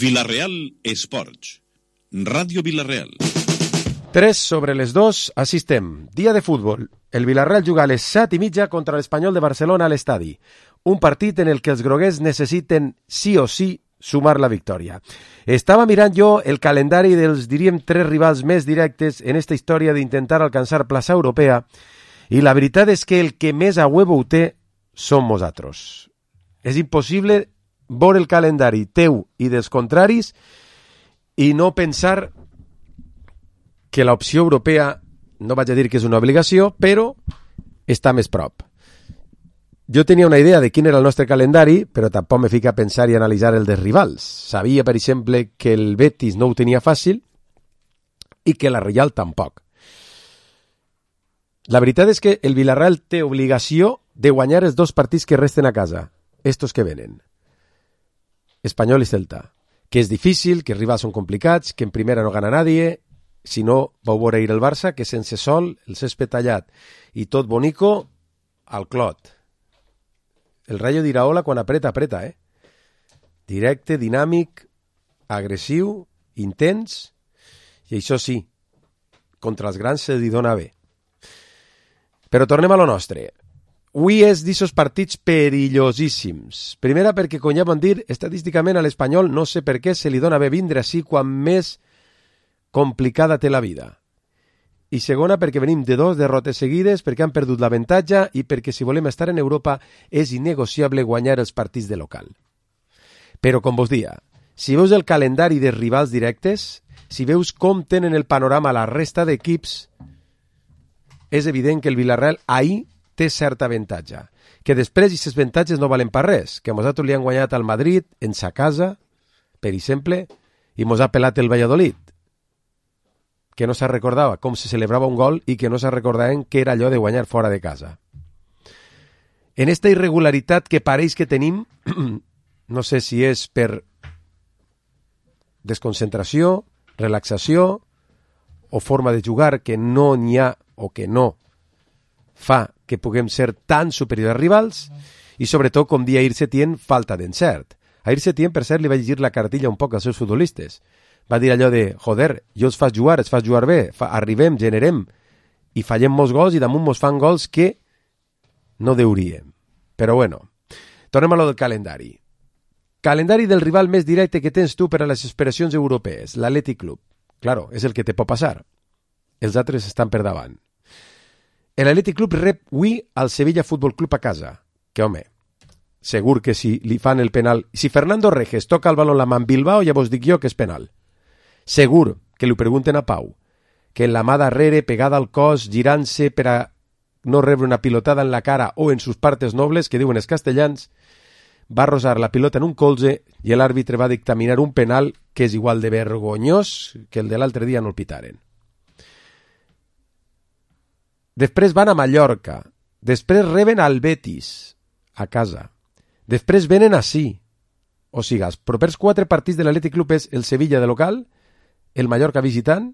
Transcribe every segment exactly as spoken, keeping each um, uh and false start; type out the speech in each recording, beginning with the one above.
Vila-real Esports. Ràdio Vila-real. tres sobre les dos, així estem. Dia de futbol. El Vila-real juga a les set i mitja contra l'Espanyol de Barcelona a l'estadi. Un partit en el que els groguers necessiten sí o sí sumar la victòria. Estava mirant jo el calendari dels, diríem, tres rivals més directes en esta història d'intentar alcançar plaça europea i la veritat és que el que més a huevo ho té som nosaltres. És impossible veure el calendari teu i dels contraris i no pensar que l'opció europea, no vaig a dir que és una obligació, però està més prop. Jo tenia una idea de quin era el nostre calendari, però tampoc me fica a pensar i analitzar el dels rivals. Sabia, per exemple, que el Betis no ho tenia fàcil i que la Reial tampoc. La veritat és que el Villarreal té obligació de guanyar els dos partits que resten a casa, estos que venen. Espanyol i Celta. Que és difícil, que els rivals són complicats, que en primera no gana nadie. Si no, vau veure ahir el Barça, que sense sol, el césped tallat i tot bonico, al clot. El Rayo d'Iraola quan apreta, apreta, eh? Directe, dinàmic, agressiu, intens, i això sí, contra els grans se li dona bé. Però tornem a lo nostre. Avui és d'ixos partits perillosíssims. Primera perquè, com ja vam dir, estadísticament a l'Espanyol no sé per què se li dona bé vindre així quan més complicada té la vida. I segona perquè venim de dos derrotes seguides, perquè han perdut l'avantatge i perquè si volem estar en Europa és innegociable guanyar els partits de local. Però com vos dia, si veus el calendari de rivals directes, si veus com tenen el panorama la resta d'equips, és evident que el Villarreal ahir té cert avantatge, que després aquests avantatges no valen per res, que nosaltres li han guanyat al Madrid en sa casa, per exemple, i mos ha pelat el Valladolid, que no se recordava com se celebrava un gol i que no se recordaven que era allò de guanyar fora de casa. En esta irregularitat que pareix que tenim, no sé si és per desconcentració, relaxació o forma de jugar que no n'hi ha o que no fa que puguem ser tan superiors als rivals i sobretot, com dia Ahir Setién, falta d'encert. Ahir Setién, per cert, li va llegir la cartilla un poc als seus futbolistes. Va dir allò de, joder, jo els faig jugar, els faig jugar bé, fa, arribem, generem, i fallem molts gols i damunt mos fan gols que no deuríem. Però bueno, tornem a lo del calendari. Calendari del rival més directe que tens tu per a les aspiracions europees, l'Atlètic Club. Claro, és el que te pot passar. Els altres estan per davant. L'Atlètic Club rep avui al Sevilla Futbol Club a casa, que home, segur que si li fan el penal, si Fernando Reges toca el baló en la mà en Bilbao, ja vos dic jo que és penal. Segur que li pregunten a Pau, que en la mà darrere, pegada al cos, girant-se per a no rebre una pilotada en la cara o en sus partes nobles, que diuen els castellans, va rosar la pilota en un colze i l'àrbitre va dictaminar un penal que és igual de vergonyós que el de l'altre dia no el pitaren. Després van a Mallorca, després reben al Betis, a casa, després venen ací. O sigui, els propers quatre partits de l'Atlètic Club és el Sevilla de local, el Mallorca visitant,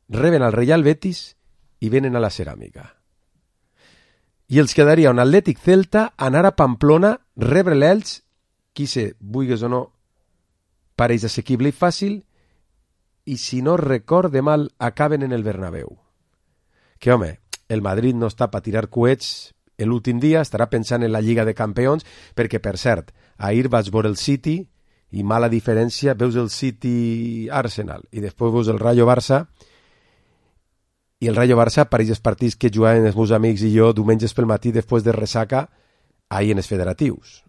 reben al Real Betis i venen a la Ceràmica. I els quedaria un Atlètic Celta, anar a Pamplona, rebre l'Elx, qui sé, vulguis o no, pareix assequible i fàcil, i si no recorde mal, acaben en el Bernabéu. Que home, el Madrid no està per tirar coets l'últim dia, estarà pensant en la Lliga de Campions, perquè, per cert, ahir vaig veure el City i mala diferència, veus el City Arsenal i després veus el Rayo Barça i el Rayo Barça pareix els partits que jugaven els meus amics i jo diumenges pel matí després de ressaca ahir en els federatius.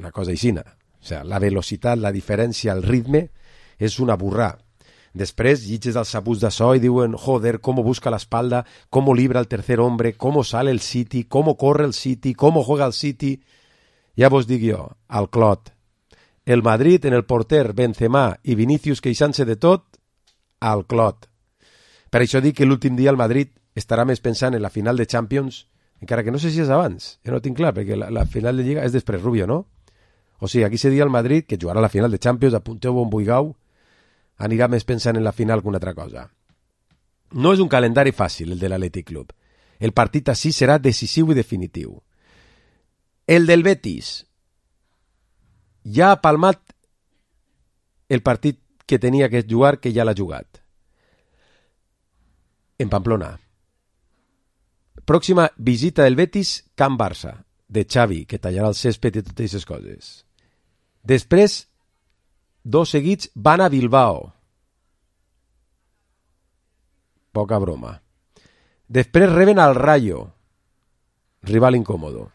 Una cosa aixina. O sigui, la velocitat, la diferència, el ritme és una burrà. Després llitges als sabuts de so i diuen, joder, cómo busca la espalda, cómo libra el tercer hombre, cómo sale el City, cómo corre el City, cómo juega el City. Ja vos dic jo, al clot. El Madrid en el porter Benzema i Vinícius queixant-se de tot, al clot. Per això dic que l'últim dia el Madrid estarà més pensant en la final de Champions, encara que no sé si és abans, ja no tinc clar, perquè la, la final de Lliga és després Rubio, no? O sigui, aquí se dia el Madrid, que jugarà la final de Champions, apunteu bon buigau, anirà més pensant en la final que una altra cosa. No és un calendari fàcil, el de l'Atlètic Club. El partit així serà decisiu i definitiu. El del Betis ja ha palmat el partit que tenia que jugar, que ja l'ha jugat. En Pamplona. Pròxima visita del Betis, Camp Barça, de Xavi, que tallarà el césped i totes aquestes coses. Després, dos seguits van a Bilbao. Poca broma. Després reben al Rayo, rival incòmodo.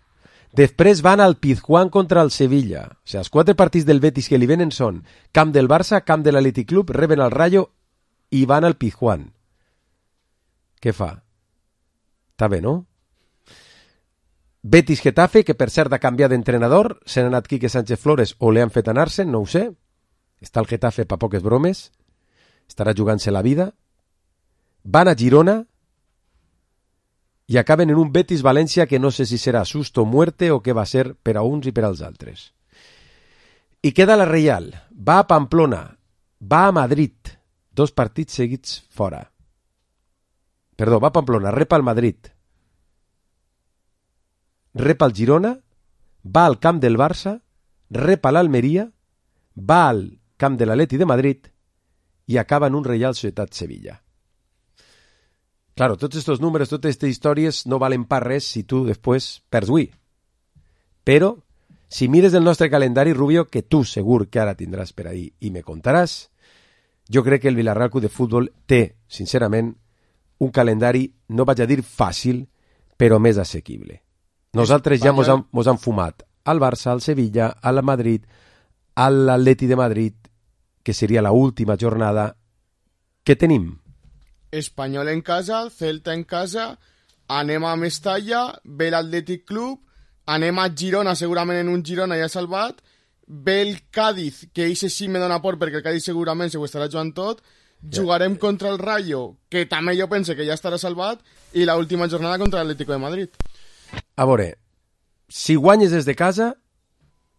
Després van al Pizjuán contra el Sevilla. O sigui, els quatre partits del Betis que li venen són camp del Barça, camp de l'Athletic Club, reben al Rayo i van al Pizjuán. Què fa? Està bé, no? Betis Getafe, que per cert ha canviat d'entrenador, se n'ha anat Quique Sánchez Flores o li han fet anar-se'n, no ho sé. Està el Getafe pa poques bromes. Estarà jugant-se la vida. Van a Girona i acaben en un Betis-València que no sé si serà susto o muerte o què va ser per a uns i per als altres. I queda la Reial. Va a Pamplona. Va a Madrid. Dos partits seguits fora. Perdó, va a Pamplona. Rep al Madrid. Rep al Girona. Va al camp del Barça. Rep a l'Almeria. Va al camp de l'Atleti de Madrid. I acaba en un Real Societat Sevilla. Claro, tots estos números, totes aquestes històries no valen per res si tu després perds avui. Però, si mires el nostre calendari, Rubio, que tu segur que ara tindràs per ahí i me contaràs, jo crec que el Villarreal Club de Futbol té, sincerament, un calendari, no vaig a dir fàcil, però més assequible. Nosaltres ja mos han, mos han fumat al Barça, al Sevilla, al Madrid, a l'Atleti de Madrid, que seria la última jornada que tenim. Espanyol en casa, Celta en casa, anem a Mestalla, ve l'Atlètic Club, anem a Girona, segurament en un Girona ja salvat, ve el Cádiz, que eixe sí me dona por perquè el Cádiz segurament se ho estarà jugant tot, jugarem contra el Rayo, que també jo pense que ja estarà salvat, i la última jornada contra l'Atlético de Madrid. A veure, si guanyes des de casa,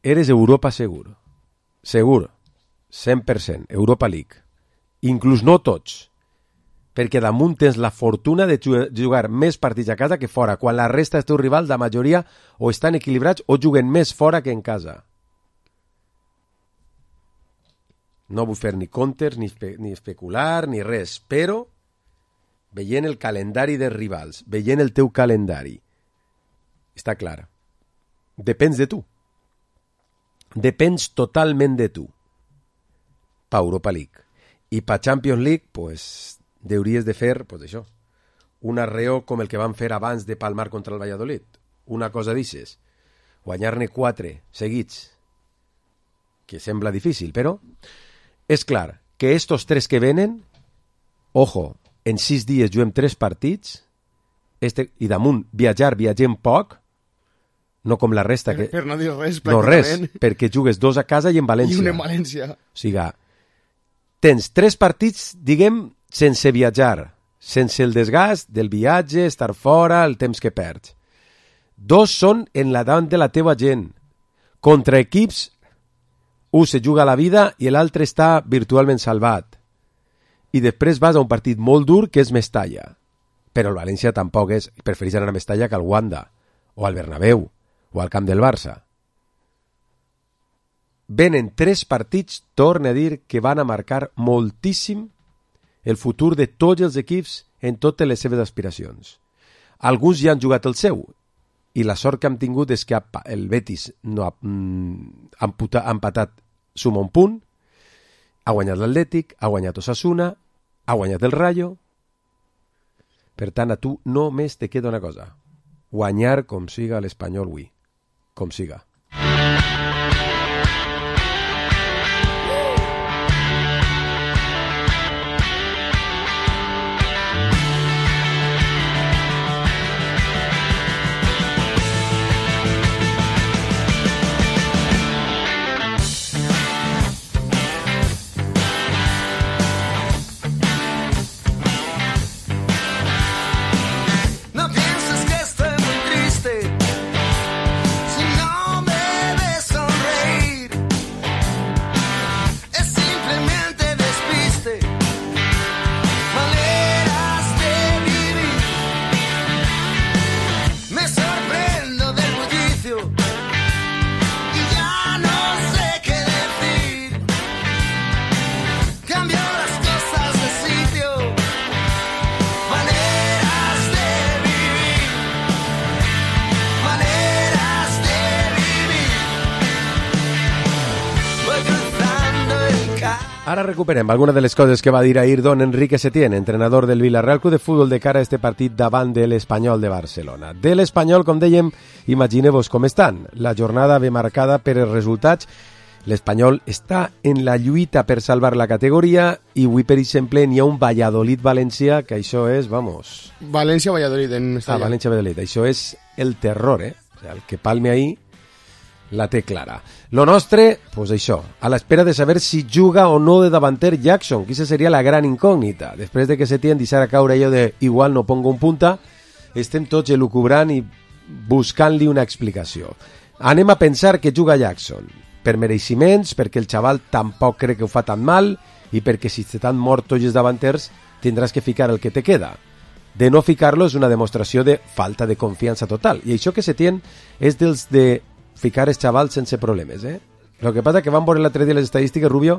eres Europa segur. Segur. cent per cent. Europa League. Inclús no tots. Perquè damunt tens la fortuna de jugar més partits a casa que fora, quan la resta dels teus rivals, la majoria, o estan equilibrats o juguen més fora que en casa. No vull fer ni comptes, ni, espe ni especular, ni res, però veient el calendari dels rivals, veient el teu calendari, està clar. Depens de tu. Depens totalment de tu. Pa Europa League. I pa Champions League, pues, hauries de fer, pues això, un arreo com el que van fer abans de palmar contra el Valladolid. Una cosa d'ixes. Guanyar-ne quatre seguits, que sembla difícil, però és clar que estos tres que venen, ojo, en sis dies juguem tres partits, este, i damunt viatjar, viatgem poc, no com la resta que... Per, per no dir res, no res, perquè jugues dos a casa i en València. I un en València. O sigui, tens tres partits, diguem, sense viatjar, sense el desgast del viatge, estar fora, el temps que perds. Dos són en la davant de la teva gent. Contra equips, un se juga la vida i l'altre està virtualment salvat. I després vas a un partit molt dur que és Mestalla. Però el València tampoc és... Preferís anar a Mestalla que al Wanda, o al Bernabéu, o al camp del Barça. Venen tres partits, torne a dir, que van a marcar moltíssim el futur de tots els equips en totes les seves aspiracions. Alguns ja han jugat el seu, i la sort que hem tingut és que el Betis no ha, mm, ha, emputat, ha empatat suma un punt, ha guanyat l'Atlètic, ha guanyat Osasuna, ha guanyat el Rayo. Per tant, a tu només te queda una cosa: guanyar com siga l'Espanyol avui, com siga. Si no me ves sonreír Ara recuperem alguna de les coses que va dir ahir don Enrique Setién, entrenador del Villarreal Club de Futbol de cara a este partit davant de l'Espanyol de Barcelona. De l'Espanyol, com dèiem, imagineu-vos com estan. La jornada ve marcada per els resultats. L'Espanyol està en la lluita per salvar la categoria i avui, per exemple, n'hi ha un Valladolid-València, que això és, vamos... València-Valladolid en Mestalla. Ah, València-Valladolid. Això és el terror, eh? O sea, el que palme ahí la té clara. Lo nostre, pues això, a l'espera de saber si juga o no de davanter Jackson, que esa seria la gran incògnita. Després de que Setién deixara caure allò de igual no pongo un punta, estem tots elucubrant i buscant-li una explicació. Anem a pensar que juga Jackson, per mereixements, perquè el xaval tampoc crec que ho fa tan mal i perquè si estan morts tots els davanters tindràs que ficar el que te queda. De no ficar-lo és una demostració de falta de confiança total. I això que Setién és dels de ficar els xavals sense problemes, eh? El que passa que van veure l'altre dia les estadístiques, Rubio,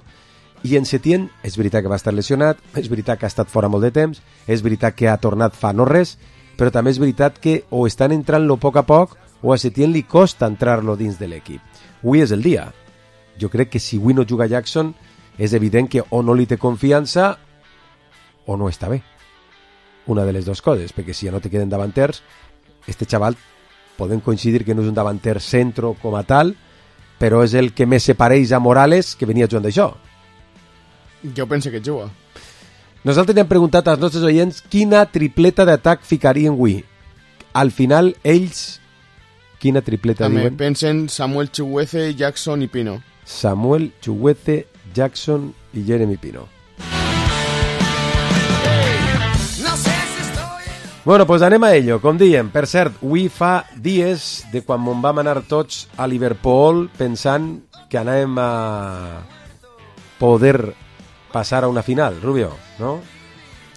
i en Setién és veritat que va estar lesionat, és veritat que ha estat fora molt de temps, és veritat que ha tornat fa no res, però també és veritat que o estan entrant-lo a poc a poc o a Setién li costa entrar-lo dins de l'equip. Avui és el dia. Jo crec que si avui no juga Jackson és evident que o no li té confiança o no està bé. Una de les dues coses, perquè si ja no te queden davanters, este xaval podem coincidir que no és un davanter centro com a tal, però és el que més se pareix a Morales, que venia jugant d'això. Jo pense que juga. Nosaltres li hem preguntat als nostres oients quina tripleta d'atac ficarien avui. Al final, ells, quina tripleta També diuen? pensen Samuel Chuguece, Jackson i Pino. Samuel Chuguece, Jackson i Jeremy Pino. Bueno, pues anem a ello, com diem. Per cert, avui fa dies de quan vam anar tots a Liverpool pensant que anàvem a poder passar a una final, Rubio, no?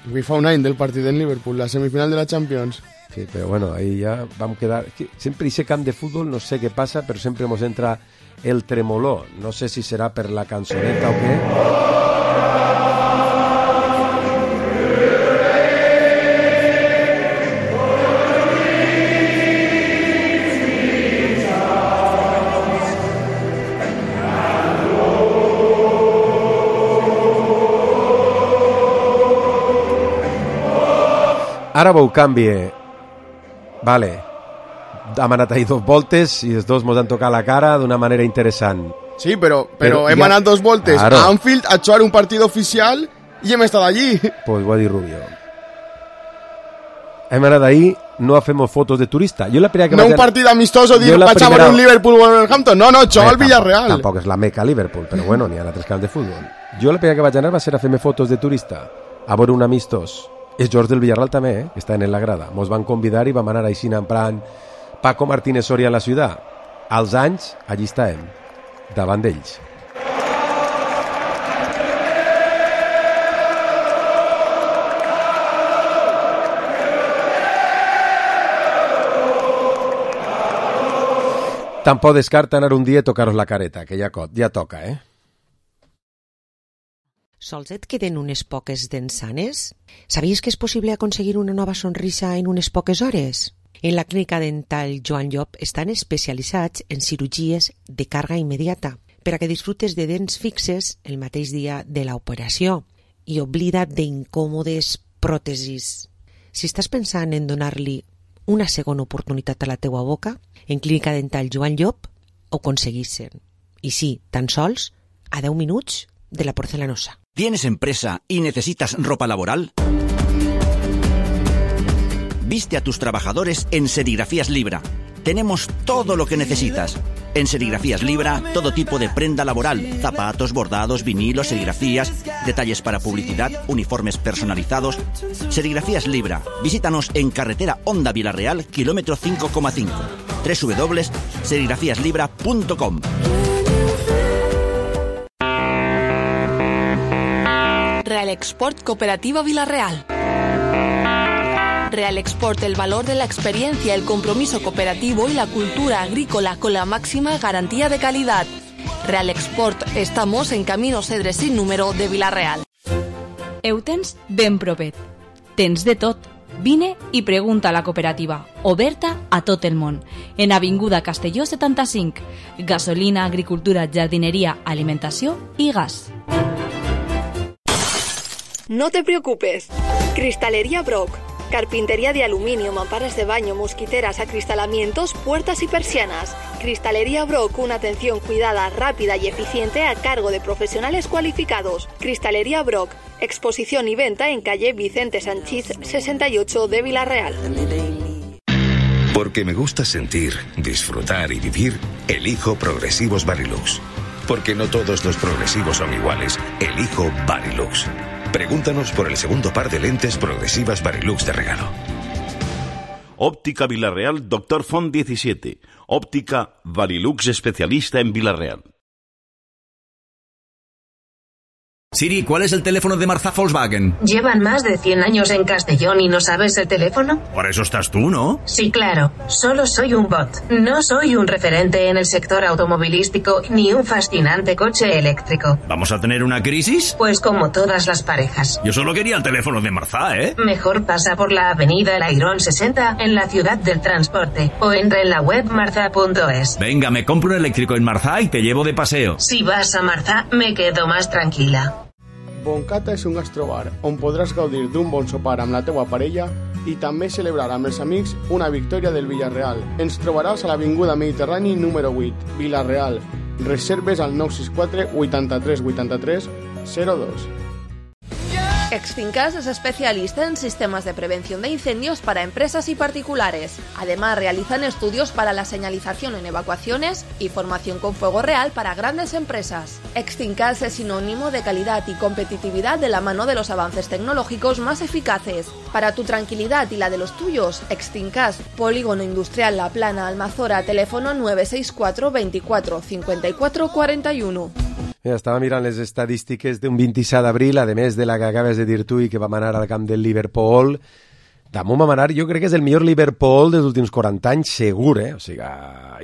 Avui fa un any del partit en Liverpool, la semifinal de la Champions. Sí, però bueno, ahí ja vam quedar... Sempre ese camp de futbol, no sé què passa, però sempre ens entra el tremoló. No sé si serà per la cançoneta o què. Ara veu canvi. Vale. Hem anat ahir dos voltes i els dos mos han tocat la cara d'una manera interessant. Sí, però, però, Però hem ja- anat dos voltes Claro. a Anfield a jugar un partit oficial i hem estat allí. Pues ho ha dit Rubio. Hem anat ahir, no fem fotos de turista. Jo la primera que No vaig un anar- partit amistoso, dir, Jo la vaig a veure primera- un Liverpool-Wolverhampton. No, no, jugar al Bé, Villarreal. Tampoc, tampoc és la meca Liverpool, però bueno, n'hi ha altres camps de futbol. Jo la primera que vaig anar va ser a fer-me fotos de turista, a veure un amistós. Els jugadors del Villarreal també, eh, que estan en la grada. Mos van convidar i vam anar així en plan Paco Martínez Soria en la ciutat. Als anys, allí estàvem, davant d'ells. Tampoc descarta anar un dia i tocar-os la careta, que ja, co- ja toca, eh? Sols et queden unes poques dents sanes? Sabies que és possible aconseguir una nova sonrisa en unes poques hores? En la clínica dental Joan Llop estan especialitzats en cirurgies de càrrega immediata per a que disfrutes de dents fixes el mateix dia de l'operació i oblida't d'incòmodes pròtesis. Si estàs pensant en donar-li una segona oportunitat a la teua boca, en clínica dental Joan Llop ho aconseguissin. I sí, tan sols a deu minuts de la porcelanosa. ¿Tienes empresa y necesitas ropa laboral? Viste a tus trabajadores en Serigrafías Libra. Tenemos todo lo que necesitas. En Serigrafías Libra, todo tipo de prenda laboral, zapatos, bordados, vinilos, serigrafías, detalles para publicidad, uniformes personalizados. Serigrafías Libra. Visítanos en carretera Honda Villarreal, kilómetro cinco coma cinco. doble u doble u doble u punto serigrafías libra punto com. Real Export Cooperativa Villarreal. Real Export, el valor de la experiencia, el compromiso cooperativo y la cultura agrícola con la máxima garantía de calidad. Real Export, estamos en Camino Cedre sin número de Villarreal. Heu tens ben propet. Tens de tot. Vine i pregunta a la cooperativa, oberta a tot el món. En Avinguda Castelló setanta-cinc. Gasolina, agricultura, jardineria, alimentació i gas. No te preocupes. Cristalería Brock. Carpintería de aluminio, mamparas de baño, mosquiteras, acristalamientos, puertas y persianas. Cristalería Brock, una atención cuidada, rápida y eficiente a cargo de profesionales cualificados. Cristalería Brock, exposición y venta en calle Vicente Sanchís sesenta y ocho de Villarreal. Porque me gusta sentir, disfrutar y vivir, elijo Progresivos Varilux. Porque no todos los progresivos son iguales, elijo Varilux. Pregúntanos por el segundo par de lentes progresivas Varilux de regalo. Óptica Villarreal, Doctor Font diecisiete. Óptica Varilux, especialista en Villarreal. Siri, ¿cuál es el teléfono de Marza Volkswagen? ¿Llevan más de cien años en Castellón y no sabes el teléfono? Por eso estás tú, ¿no? Sí, claro. Solo soy un bot. No soy un referente en el sector automovilístico ni un fascinante coche eléctrico. ¿Vamos a tener una crisis? Pues como todas las parejas. Yo solo quería el teléfono de Marza, ¿eh? Mejor pasa por la avenida Lairón sesenta en la ciudad del transporte o entra en la web marza punto es. Venga, me compro un eléctrico en Marza y te llevo de paseo. Si vas a Marza, me quedo más tranquila. Boncata és un gastrobar on podràs gaudir d'un bon sopar amb la teua parella i també celebrar amb els amics una victòria del Villarreal. Ens trobaràs a l'Avinguda Mediterrani número vuit, Villarreal. Reserves al nou sis quatre vuitanta-tres vuitanta-tres zero dos. Exfincas es especialista en sistemas de prevención de incendios para empresas y particulares. Además, realizan estudios para la señalización en evacuaciones y formación con fuego real para grandes empresas. Exfincas es sinónimo de calidad y competitividad de la mano de los avances tecnológicos más eficaces. Para tu tranquilidad y la de los tuyos, Exfincas, Polígono Industrial La Plana, Almazora, teléfono nueve seis cuatro veinticuatro cincuenta y cuatro cuarenta y uno. Mira, estava mirant les estadístiques d'un vint-i-set d'abril, a més de la que acabes de dir tu i que vam anar al camp del Liverpool. Damunt vam anar, jo crec que és el millor Liverpool dels últims quaranta anys, segur, eh? O sigui,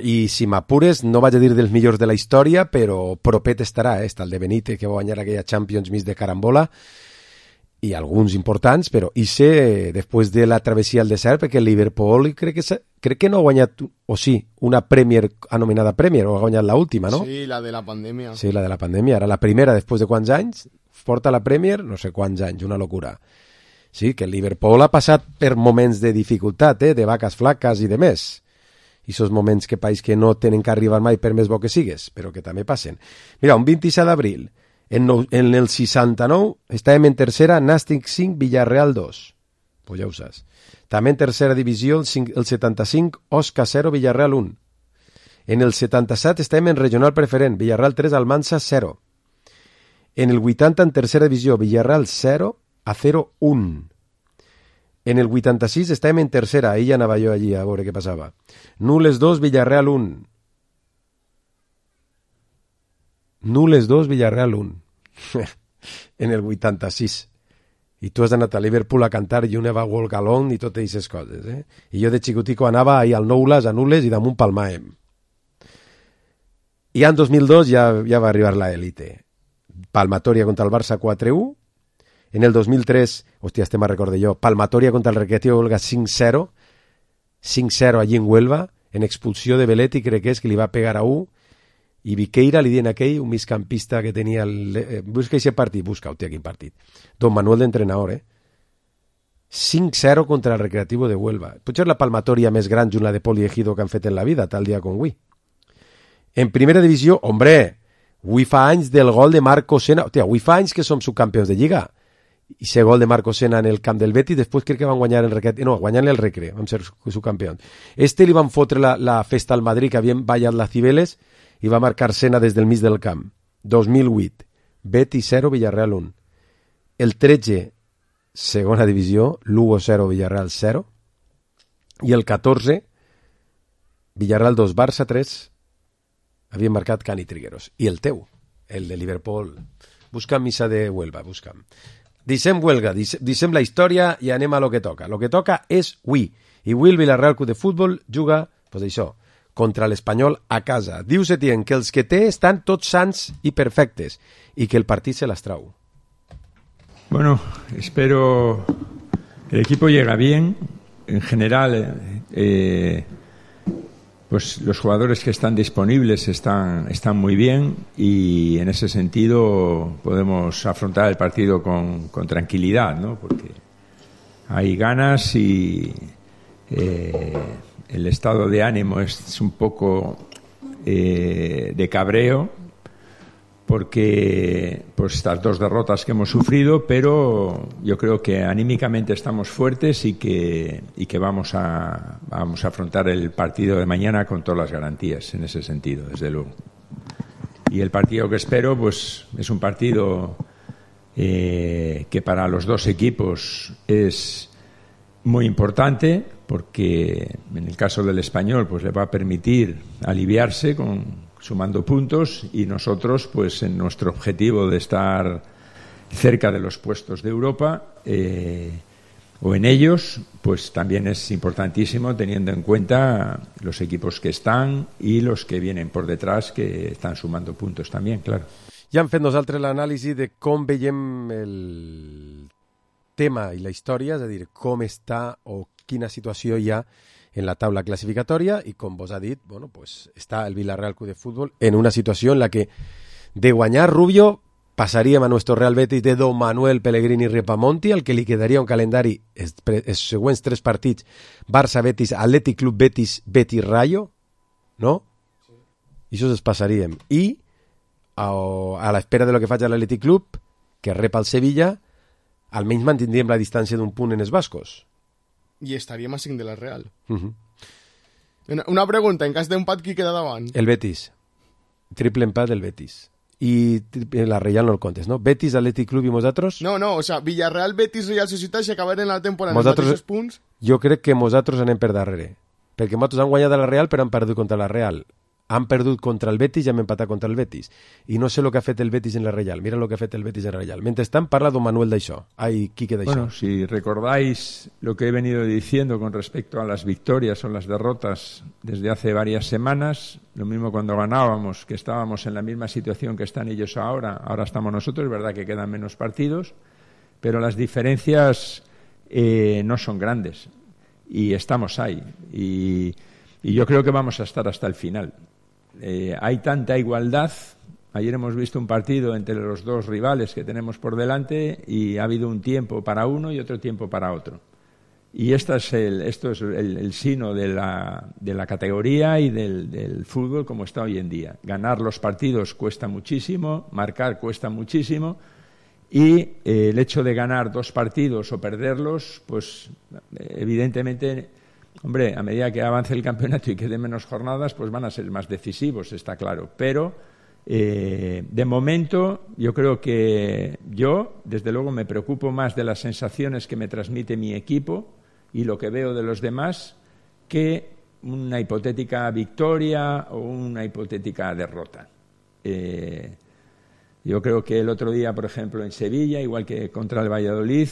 i si m'apures, no vaig a dir dels millors de la història, però propet estarà, eh? Està el de Benítez, que va guanyar aquella Champions mig de carambola, i alguns importants, però i sé, després de la travessia al desert, perquè el Liverpool crec que, crec que no ha guanyat, o sí, una Premier anomenada Premier, o ha guanyat l'última, no? Sí, la de la pandèmia. Sí, la de la pandèmia, era la primera després de quants anys, porta la Premier, no sé quants anys, una locura. Sí, que el Liverpool ha passat per moments de dificultat, eh, de vaques flaques i de més. I esos moments que país que no tenen que arribar mai per més bo que sigues, però que també passen. Mira, un vint-i-set d'abril, En, no, en el seixanta-nou estàvem en tercera, Nàstic cinc, Villarreal dos. Pues ja ho saps. També en tercera divisió, el, cinc, el setanta-cinc, Osca zero, Villarreal un. En el setanta-set estàvem en regional preferent, Villarreal tres, Almansa zero. En el vuitanta, en tercera divisió, Villarreal zero, a zero un. En el vuitanta-sis estàvem en tercera, ahir ja anava jo allí a veure què passava. Nules dos, Villarreal un. Nules dos, Villarreal un. En el vuitanta-sis. I tu has anat a Liverpool a cantar You Never Walk Alone i totes aquestes coses, eh? I jo de xicutico anava ahir al Noules, a Nules i damunt Palmaem. I en dos mil dos ja, ja va arribar la élite. Palmatoria contra el Barça quatre u. En el dos mil tres, hòstia, este me'n recorde jo, Palmatoria contra el Recreativo Huelga cinc zero. cinc zero allí en Huelva, en expulsió de Belletti, crec que és que li va pegar a u. I Viqueira li dien aquell, un migcampista que tenia el... Eh, busca aquest partit, busca, ho té quin partit. Don Manuel d'entrenador, eh? cinc zero contra el Recreativo de Huelva. Potser la palmatòria més gran junt la de Poli Ejido que han fet en la vida, tal dia com avui. En primera divisió, hombre, avui fa anys del gol de Marco Sena. Hòstia, avui fa anys que som subcampions de Lliga. I ese gol de Marco Sena en el camp del Betis, després crec que van guanyar el Recre... No, guanyant el Recre, vam ser subcampions. Este li van fotre la, la festa al Madrid, que havien ballat les Cibeles, i va marcar Sena des del mig del camp. dos mil vuit, Betis zero, Villarreal un. El tretze, segona divisió, Lugo zero, Villarreal zero. I el catorze, Villarreal dos, Barça tres, havien marcat Cani Trigueros. I el teu, el de Liverpool. Busca'm missa de Huelva, busca'm. Deixem Huelga, deixem la història i anem a lo que toca. Lo que toca és avui. I avui el Villarreal Club de Futbol juga, pues això, contra l'Espanyol a casa. Diu Setién que els que té estan tots sants i perfectes i que el partit se las trau. Bueno, espero que el equipo llegue bien. En general, eh, pues los jugadores que están disponibles están, están muy bien y en ese sentido podemos afrontar el partido con, con tranquilidad, ¿no? Porque hay ganas y eh, el estado de ánimo es un poco eh, de cabreo porque pues estas dos derrotas que hemos sufrido, pero yo creo que anímicamente estamos fuertes y que y que vamos a vamos a afrontar el partido de mañana con todas las garantías en ese sentido, desde luego. Y el partido que espero pues es un partido eh, que para los dos equipos es muy importante, porque en el caso del Español pues le va a permitir aliviarse con sumando puntos, y nosotros pues en nuestro objetivo de estar cerca de los puestos de Europa eh, o en ellos, pues también es importantísimo, teniendo en cuenta los equipos que están y los que vienen por detrás, que están sumando puntos también, claro. Ja hem fet nosaltres l'anàlisi de com veiem el tema i la història, és a dir, com està o quina situació hi ha en la taula clasificatòria, i com vos ha dit, bueno, pues està el Villarreal Club de Fútbol en una situació en la que de guanyar Rubio passaríem a nuestro Real Betis de Don Manuel Pellegrini Ripamonti, al que li quedaria un calendari els, els següents tres partits: Barça, Betis, Atlètic Club Betis, Betis Rayo, no? Sí. I això es passaríem. I a, a l'espera de lo que faci l'Atlètic Club, que rep el Sevilla, almenys mantindríem la distància d'un punt en els bascos. I estaríem a cinc de la Real. Uh-huh. Una, una pregunta, en cas d'empat, qui queda davant? El Betis. Triple empat del Betis. I la Real no el comptes, no? Betis, Atlètic Club i nosaltres? No, no, o sea, Villarreal, Betis, Real Societat, si acabaren la temporada en els mateixos punts... Jo crec que nosaltres anem per darrere. Perquè nosaltres han guanyat a la Real, però han perdut contra la Real. Han perdut contra el Betis i hem empatat contra el Betis. I no sé el que ha fet el Betis en la Real. Mira el que ha fet el Betis en la Real. Mentrestant, parla don Manuel d'això. Ai, Quique d'això. Bueno, si recordáis lo que he venido diciendo con respecto a las victorias o las derrotas desde hace varias semanas, lo mismo cuando ganábamos, que estábamos en la misma situación que están ellos ahora. Ahora estamos nosotros, es verdad que quedan menos partidos, pero las diferencias eh, no son grandes. Y estamos ahí. Y, y yo creo que vamos a estar hasta el final. Eh, hay tanta igualdad. Ayer hemos visto un partido entre los dos rivales que tenemos por delante y ha habido un tiempo para uno y otro tiempo para otro. Y esta es el, esto es el, el sino de la, de la categoría y del, del fútbol como está hoy en día. Ganar los partidos cuesta muchísimo, marcar cuesta muchísimo, y eh, el hecho de ganar dos partidos o perderlos, pues evidentemente... Hombre, a medida que avance el campeonato y quede menos jornadas, pues van a ser más decisivos, está claro. Pero, eh, de momento, yo creo que yo, desde luego, me preocupo más de las sensaciones que me transmite mi equipo y lo que veo de los demás que una hipotética victoria o una hipotética derrota. Eh, yo creo que el otro día, por ejemplo, en Sevilla, igual que contra el Valladolid,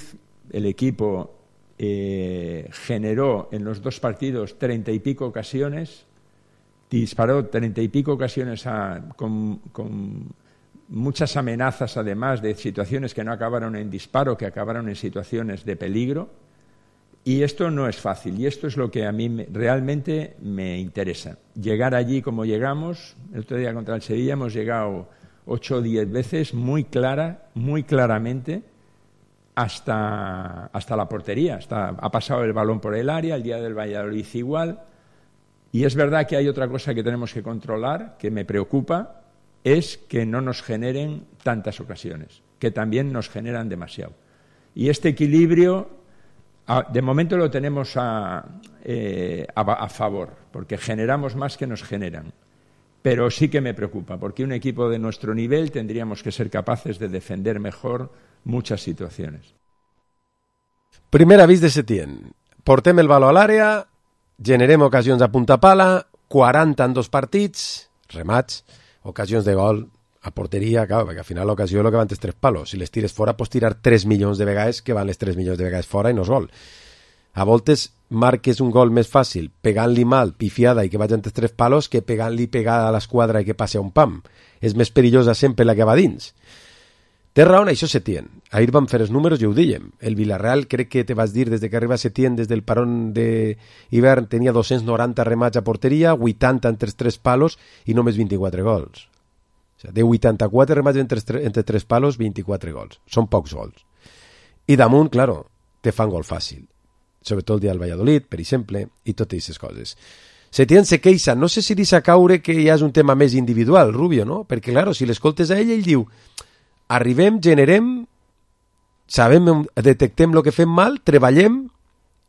el equipo... Eh, generó en los dos partidos treinta y pico ocasiones, disparó treinta y pico ocasiones a, con, con muchas amenazas, además de situaciones que no acabaron en disparo, que acabaron en situaciones de peligro, y esto no es fácil, y esto es lo que a mí me, realmente me interesa. Llegar allí como llegamos, el otro día contra el Sevilla hemos llegado ocho o diez veces muy clara, muy claramente, Hasta, hasta la portería, hasta, ha pasado el balón por el área, el día del Valladolid igual, y es verdad que hay otra cosa que tenemos que controlar, que me preocupa, es que no nos generen tantas ocasiones, que también nos generan demasiado. Y este equilibrio, de momento lo tenemos a, eh, a, a favor, porque generamos más que nos generan. Pero sí que me preocupa, porque un equipo de nuestro nivel tendríamos que ser capaces de defender mejor muchas situaciones. Primer avís de Setién. Portem el baló a l'àrea, generem ocasions a punta pala, quaranta en dos partits, remats, ocasions de gol a porteria, clar, perquè al final l'ocasió és el que van els tres palos. Si les tires fora, pots tirar tres milions de vegades que van les tres milions de vegades fora i no és gol. A voltes marques un gol més fàcil pegant-li mal, pifiada i que vagi entre tres palos, que pegant-li pegada a l'esquadra i que passi a un pam. És més perillosa sempre la que va dins. Té raó en això Setién. Ahir vam fer els números i ho dèiem. El Villarreal, crec que te vas dir, des de que arriba Setién, des del parón d'hivern, tenia dos-cents noranta remats a porteria, vuitanta entre tres palos i només vint-i-quatre gols. O sigui, de vuitanta-quatre remats entre, entre tres palos, vint-i-quatre gols. Són pocs gols. I damunt, claro, te fan gol fàcil. Sobretot el dia del Valladolid, per exemple, i totes aquestes coses. Setién se queixa, no sé si deixa caure que ja és un tema més individual, Rubio, no? Perquè, claro, si l'escoltes a ell, ell diu arribem, generem, sabem, detectem el que fem mal, treballem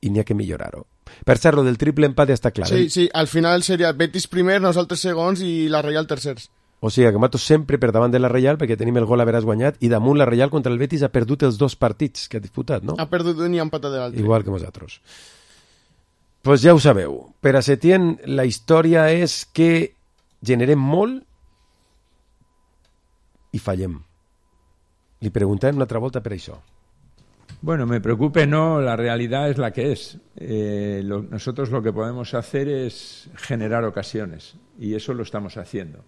i n'hi ha que millorar-ho. Per cert, lo del triple empat ja està clar. Sí, eh? sí, al final seria Betis primer, nosaltres segons i la Reial tercers. O sigui que nosaltres sempre per davant de la Reial perquè tenim el gol a veràs guanyat i damunt la Reial contra el Betis ha perdut els dos partits que ha disputat, no? Ha perdut un i ha empatat l'altre. Igual que nosaltres. Pues ja ho sabeu. Per a Setién la història és que generem molt i fallem. Li preguntem una altra volta per això. Bueno, me preocupe, no, la realidad es la que es. Eh, lo, nosotros lo que podemos hacer es generar ocasiones y eso lo estamos haciendo.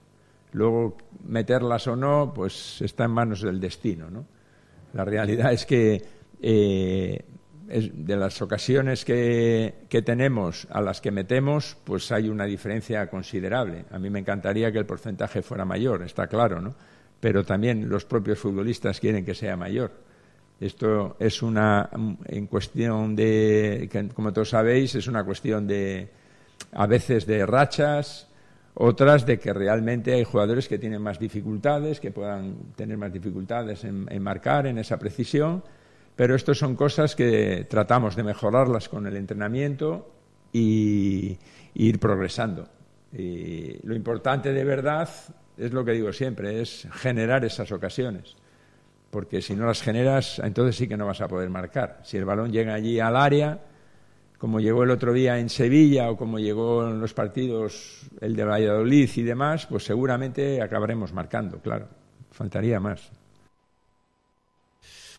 Luego, meterlas o no, pues está en manos del destino, ¿no? La realidad es que eh, es de las ocasiones que, que tenemos a las que metemos, pues hay una diferencia considerable. A mí me encantaría que el porcentaje fuera mayor, está claro, ¿no? Pero también los propios futbolistas quieren que sea mayor. Esto es una en cuestión de, que, como todos sabéis, es una cuestión de a veces de rachas, otras de que realmente hay jugadores que tienen más dificultades, que puedan tener más dificultades en, en marcar, en esa precisión, pero esto son cosas que tratamos de mejorarlas con el entrenamiento y, y ir progresando. Y lo importante de verdad es lo que digo siempre, es generar esas ocasiones, porque si no las generas, entonces sí que no vas a poder marcar. Si el balón llega allí al área, como llegó el otro día en Sevilla o como llegó en los partidos el de Valladolid y demás, pues seguramente acabaremos marcando, claro. Faltaría más.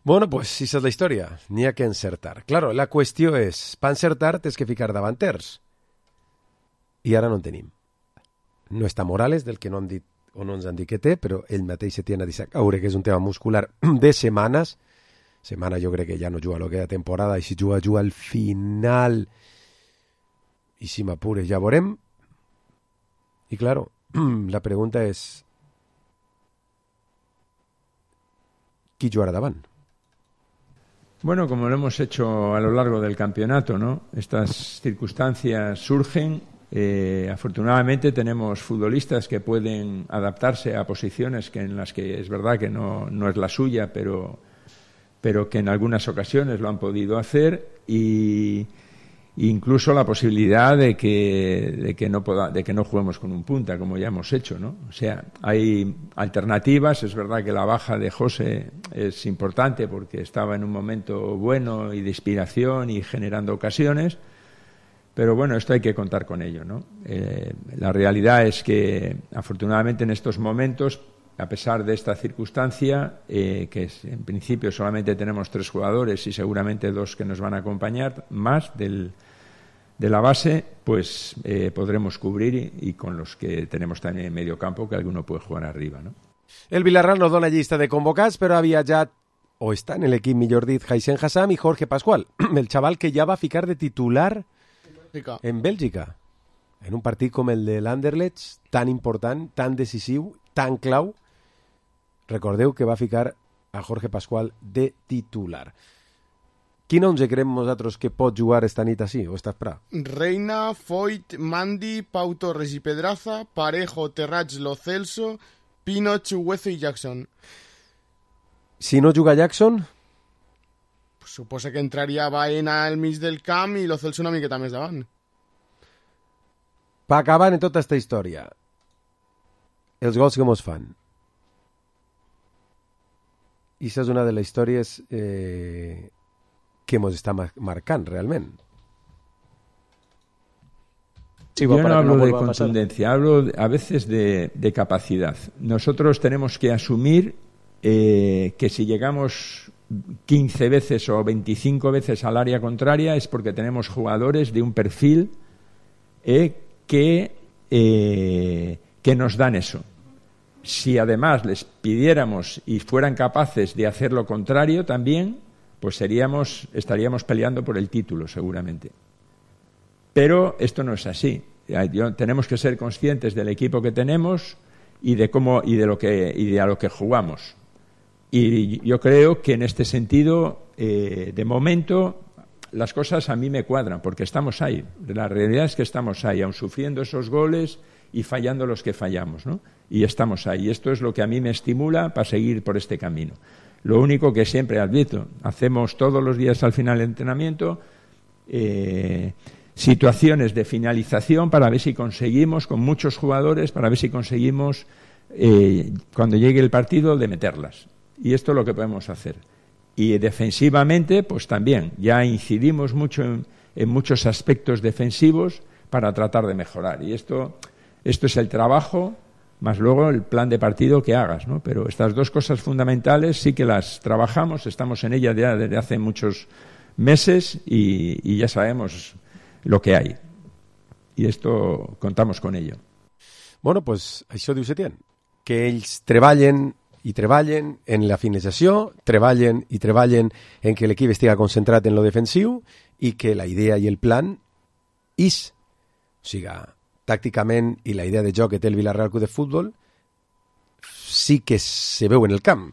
Bueno, pues si esa és la història, n'hi ha que encertar. Claro, la qüestió és, per encertar tens que ficar davanters. I ara no en tenim. No està Morales, del que no han dit o no ens han dit que té, però ell mateix se tiene a dir caure, que és un tema muscular de setmanes. Setmana jo crec que ja no juga el que de temporada, i si juga, juga al final. I si m'apures ja veurem. I claro, la pregunta és qui jugarà davant? Bueno, como lo hemos hecho a lo largo del campeonato, ¿no? Estas circunstancias surgen. Eh, afortunadamente tenemos futbolistas que pueden adaptarse a posiciones que en las que es verdad que no, no es la suya, pero, pero que en algunas ocasiones lo han podido hacer, y incluso la posibilidad de que, de que no poda, de que no juguemos con un punta, como ya hemos hecho, ¿no? O sea, hay alternativas. Es verdad que la baja de José es importante porque estaba en un momento bueno y de inspiración y generando ocasiones. Pero bueno, esto hay que contar con ello, ¿no? Eh, la realidad es que, afortunadamente, en estos momentos, a pesar de esta circunstancia, eh, que es, en principio solamente tenemos tres jugadores y seguramente dos que nos van a acompañar, más del, de la base, pues eh, podremos cubrir y, y con los que tenemos también en medio campo, que alguno puede jugar arriba, ¿no? El Villarreal no dona llista de convocats, però ha viatjat, o està en l'equip, millor dit, Haisen Hassam i Jorge Pascual, el xaval que ja va ficar de titular en Bèlgica, en un partit com el de l'Anderlecht, tan important, tan decisiu, tan clau. Recordeu que va ficar a Jorge Pascual de titular. Quin onze creiem nosaltres que pot jugar esta nit així, o esta espera? Reina, Foyt, Mandi, Pau Torres i Pedraza, Parejo, Terrats, Lo Celso, Pino, Chuguezo i Jackson. Si no juga Jackson... Suposa que entraria Baena al mig del camp i Lo Celso una miqueta més davant. Per acabar en tota aquesta història, els gols que mos fan. I aquesta és una de les històries eh, que mos està marcant realment. Sí, yo no hablo no de contundencia, hablo a veces de, de capacidad. Nosotros tenemos que asumir eh, que si llegamos quince veces o veinticinco veces al área contraria es porque tenemos jugadores de un perfil eh, que, eh, que nos dan eso. si además les pidiéramos y fueran capaces de hacer lo contrario también, pues seríamos, estaríamos peleando por el título seguramente. Pero esto no es así. Tenemos que ser conscientes del equipo que tenemos y de cómo y de lo que y de a lo que jugamos. Y yo creo que en este sentido, eh, de momento, las cosas a mí me cuadran, porque estamos ahí. La realidad es que estamos ahí, aun sufriendo esos goles y fallando los que fallamos, ¿no? Y estamos ahí. Esto es lo que a mí me estimula para seguir por este camino. Lo único que siempre advierto, hacemos todos los días al final del entrenamiento eh, situaciones de finalización para ver si conseguimos, con muchos jugadores, para ver si conseguimos, eh, cuando llegue el partido, de meterlas. Y esto es lo que podemos hacer. Y defensivamente, pues también, ya incidimos mucho en, en muchos aspectos defensivos para tratar de mejorar. Y esto, esto es el trabajo, más luego el plan de partido que hagas, ¿no? Pero estas dos cosas fundamentales sí que las trabajamos, estamos en ellas ya desde hace muchos meses y, y ya sabemos lo que hay. I esto contamos con ello. Bueno, pues això diu Setién, que ells treballen i treballen en la finalització, treballen i treballen en que l'equip estiga concentrat en lo defensiu i que la idea i el plan és, o sigui, tàcticament i la idea de joc que té el Villarreal Club de Futbol sí que se veu en el camp.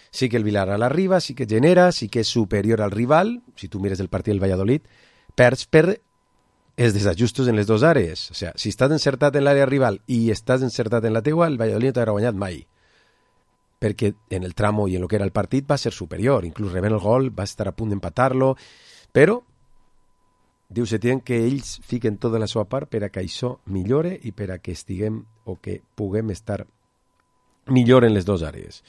Sí que el Villarreal arriba, sí que genera, sí que és superior al rival. Si tu mires el partit del Valladolid, perds per els desajustos en les dues àrees. O sigui, si estàs encertat en l'àrea rival i estàs encertat en la teua, el Valladolid no t'haurà guanyat mai. Perquè en el tramo i en el que era el partit va ser superior. Inclús rebent el gol, va estar a punt d'empatar-lo. Però diu Setién que ells fiquen tota la seva part per a que això millore i per a que estiguem o que puguem estar millor en les dues àrees.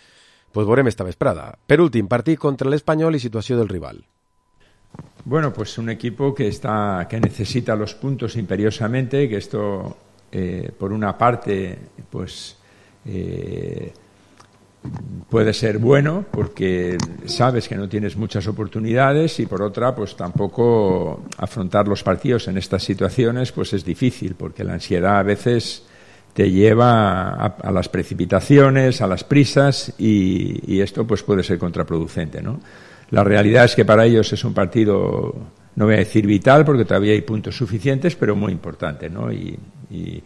Pues veurem esta vesprada. Per últim, partit contra l'Espanyol i situació del rival. Bueno, pues un equipo que está que necesita los puntos imperiosamente, que esto eh, por una parte pues eh, puede ser bueno porque sabes que no tienes muchas oportunidades y por otra pues tampoco afrontar los partidos en estas situaciones pues es difícil porque la ansiedad a veces te lleva a, a las precipitaciones, a las prisas y, y esto pues puede ser contraproducente, ¿no? La realidad es que para ellos es un partido, no voy a decir vital porque todavía hay puntos suficientes, pero muy importante, ¿no? Y, y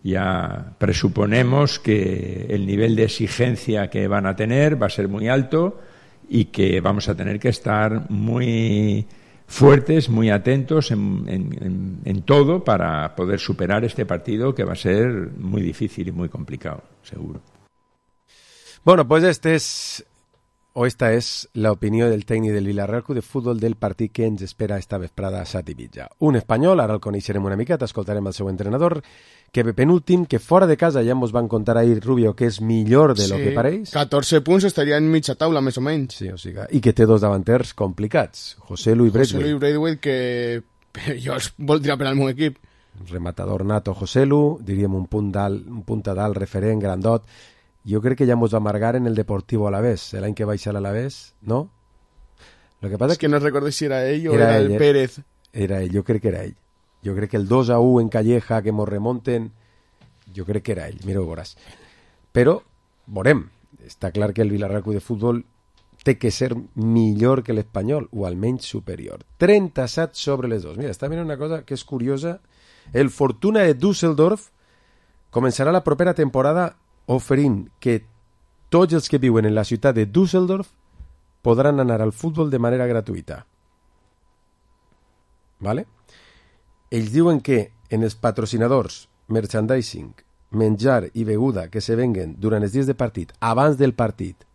ya presuponemos que el nivel de exigencia que van a tener va a ser muy alto y que vamos a tener que estar muy fuertes, muy atentos en, en, en, en todo para poder superar este partido que va a ser muy difícil y muy complicado, seguro. Bueno, pues este es... o esta és l'opinió del tècnic del Villarreal Club de Futbol del partit que ens espera esta vesprada a Sat i Mitja. Un espanyol, ara el coneixerem una miqueta, escoltarem el seu entrenador, que penúltim, que fora de casa ja ens van contar ahir, Rubio, que és millor de sí, lo que pareix. catorze punts estaria en mitja taula, més o menys. Sí, o sigui, i que té dos davanters complicats, José Lu i Braithwaite. José Lu i Braithwaite, que jo els voldria per al meu equip. Rematador nato José Lu, diríem un punt dalt, un punta dalt referent, grandot. Jo crec que ja mos va amargar en el Deportivo Alavés, l'any que va baixar l'Alavés, no? Lo que pasa es que no recordo si era ell o era, era el ell, Pérez. Era ell, jo crec que era ell. Jo crec que el dos a u en Calleja, que mos remonten, jo crec que era ell, mira, ho veuràs. Però, veurem, està clar que el Villarreal Club de Futbol té que ser millor que l'Espanyol, o almenys superior. trenta-set sobre les dos. Mira, està mirant una cosa que és curiosa. El Fortuna de Düsseldorf començarà la propera temporada oferint que tots els que viuen en la ciutat de Düsseldorf podran anar al futbol de manera gratuïta. ¿Vale? Ells diuen que en els patrocinadors, merchandising, menjar i beguda que se venguen durant els dies de partit, abans del partit,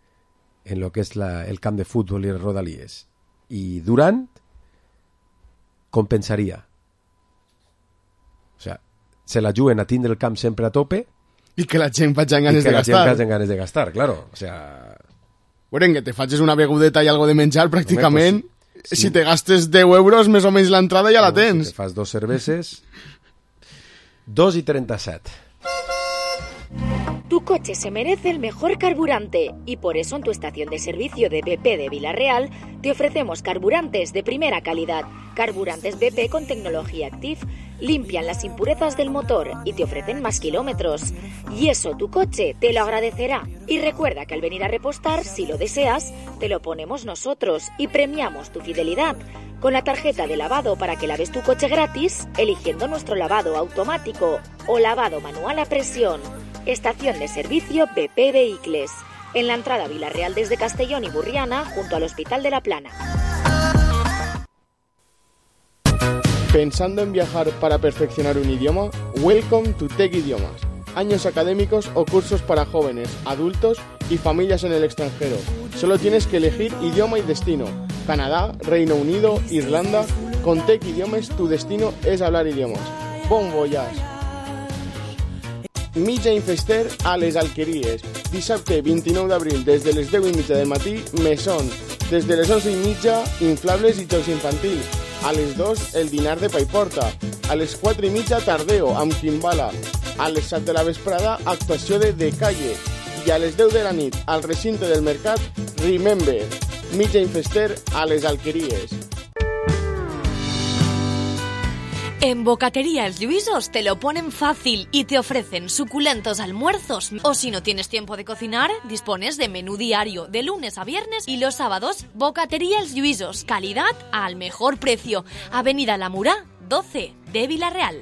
en lo que és la, el camp de futbol i les rodalies, i durant, compensaria. O sigui, se la juguen a tindre el camp sempre a tope i que la gent faci ganes de gastar. I que la gent faci ganes de gastar, claro. O sea... Bueno, que te facis una begudeta i algo de menjar, pràcticament, Home, pues, sí. si te gastes deu euros, més o menys l'entrada ja no, la tens. Si te fas dos cerveses... dos i trenta-set. Tu coche se merece el mejor carburante y por eso en tu estación de servicio de B P de Vila-real te ofrecemos carburantes de primera calidad. Carburantes B P con tecnología Active limpian las impurezas del motor y te ofrecen más kilómetros. Y eso tu coche te lo agradecerá. Y recuerda que al venir a repostar, si lo deseas, te lo ponemos nosotros y premiamos tu fidelidad con la tarjeta de lavado para que laves tu coche gratis eligiendo nuestro lavado automático o lavado manual a presión. Estación de servicio B P Vehicles, en la entrada a Vila-real desde Castellón y Burriana, junto al Hospital de la Plana. ¿Pensando en viajar para perfeccionar un idioma? Welcome to Tech Idiomas. Años académicos o cursos para jóvenes, adultos y familias en el extranjero. Solo tienes que elegir idioma y destino. Canadá, Reino Unido, Irlanda. Con Tech Idiomas tu destino és hablar idiomes. Bon voyage! Mitja Infester a les Alqueries. Dissabte vint-i-nou d'abril des de les deu i mitja del matí, mesón. Des de les onze i mitja, inflables i jocs infantils. A les dos, el dinar de Paiporta. A les quatre i mitja, tardeo, amb quimbala. A les set de la vesprada, actuació de The Calle. I a les deu de la nit, al recinte del mercat, Remember. Mitja Infester a les Alqueries. En Bocatería Els Lluïsos te lo ponen fácil y te ofrecen suculentos almuerzos. O si no tienes tiempo de cocinar, dispones de menú diario de lunes a viernes y los sábados. Bocatería Els Lluïsos, calidad al mejor precio. Avenida La Murá, doce de Vila-real.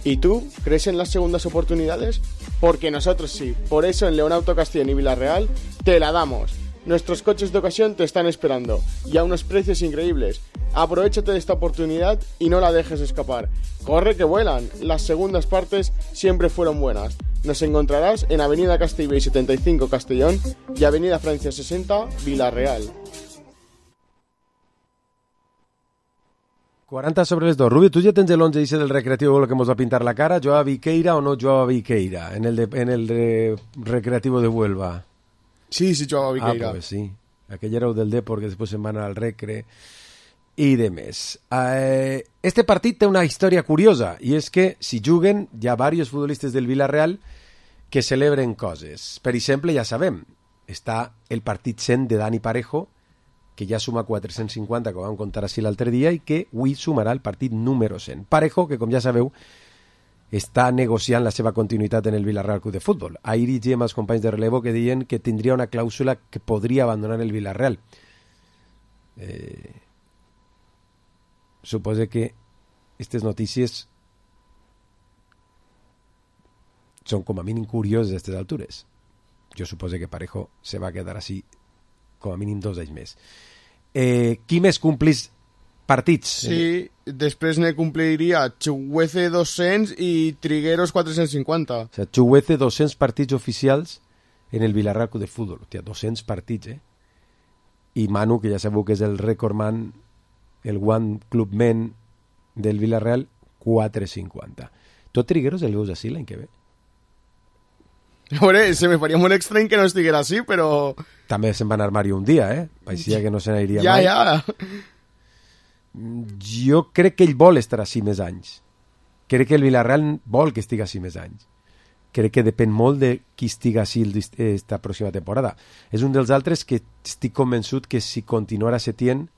¿Y tú? ¿Crees en las segundas oportunidades? Porque nosotros sí. Por eso en León Auto Castellón y Vila-real te la damos. Nuestros coches de ocasión te están esperando y a unos precios increíbles. Aprovéchate de esta oportunidad y no la dejes escapar. ¡Corre que vuelan! Las segundas partes siempre fueron buenas. Nos encontrarás en Avenida Castellbell setenta y cinco Castellón y Avenida Francia sesenta Vila-real. quaranta sobre les dos. Rubio, tu ja tens l'onze ese del recreativo que mos va pintar la cara. ¿Joa Viqueira o no Joa Viqueira en el de, en el de recreativo de Huelva? Sí, sí, Joa Viqueira. Ah, pues sí. Aquell era el del Depor, que després se'n van al recre i de més. Eh, este partit té una història curiosa, i és que si juguen hi ha diversos futbolistes del Vila-real que celebren coses. Per exemple, ja sabem, està el partit cent de Dani Parejo, que ja suma quatre-cents cinquanta, que vam contar així l'altre dia, i que avui sumarà el partit número cent. Parejo, que com ja sabeu, està negociant la seva continuïtat en el Vila-real Club de Futbol. Ahir llegíem els companys de relevo que deien que tindria una clàusula que podria abandonar el Vila-real. Eh, suposo que aquestes notícies són com a mínim curioses a aquestes altures. Jo suposo que Parejo se va quedar així com a mínim dos anys més. Eh, qui més complís partits? Sí, després ne compliria Chuguece dos-cents i Trigueros quatre-cents cinquanta. O sea, Chuguece dos-cents partits oficials en el Vila-real Club de Futbol. Hòstia, dos-cents partits, eh? I Manu, que ja sabeu que és el recordman, el One Club Men del Vila-real, quatre-cents cinquanta. Tot Trigueros el veus així l'any que ve? A veure, se me faria molt estrany que no estiguera així, però... També se'n va anar Mario un dia, eh? Paixia que no se n'aniria ja, mai. Ja, ja. Jo crec que ell vol estar així més anys. Crec que el Vila-real vol que estigui així més anys. Crec que depèn molt de qui estigui així esta pròxima temporada. És un dels altres que estic convençut que si continuara Setién,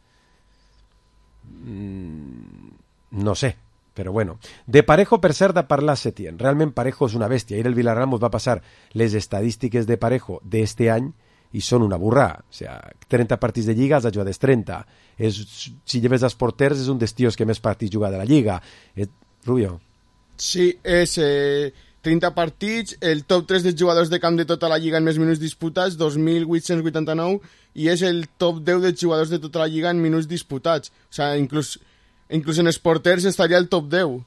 mmm, no sé, però bueno. De Parejo, per cert, de parlar Setién. Realment Parejo és una bèstia. Ahir el Vila-real mos va passar les estadístiques de Parejo d'este any i són una burrà. O sea, trenta partits de Lliga, els ha jugat trenta. És, si lleves els porters, és un dels tios que més partits juga de la Lliga. Eh, Rubio? Sí, és eh, trenta partits, el top tres dels jugadors de camp de tota la Lliga en més minuts disputats, dos mil vuit-cents vuitanta-nou, i és el top deu dels jugadors de tota la Lliga en minuts disputats. O sigui, inclús, inclús en els porters estaria el top deu.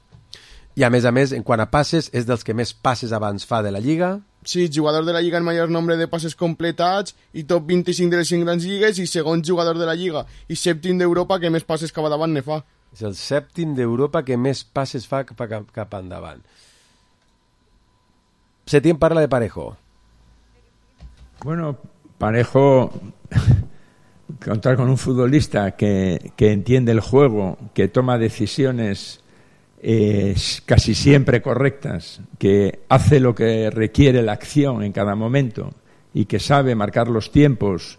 I a més a més, en quant a passes, és dels que més passes abans fa de la Lliga. Sí, jugador de la Lliga en major nombre de passes completats i top vint-i-cinc de les cinc grans lligues i segon jugador de la Lliga i sèptim d'Europa que més passes cap davant ne fa. És el sèptim d'Europa que més passes fa cap, cap, cap endavant. Setién parla de Parejo. Bueno, Parejo, contar con un futbolista que, que entiende el juego, que toma decisiones eh, casi siempre correctas, que hace lo que requiere la acción en cada momento y que sabe marcar los tiempos,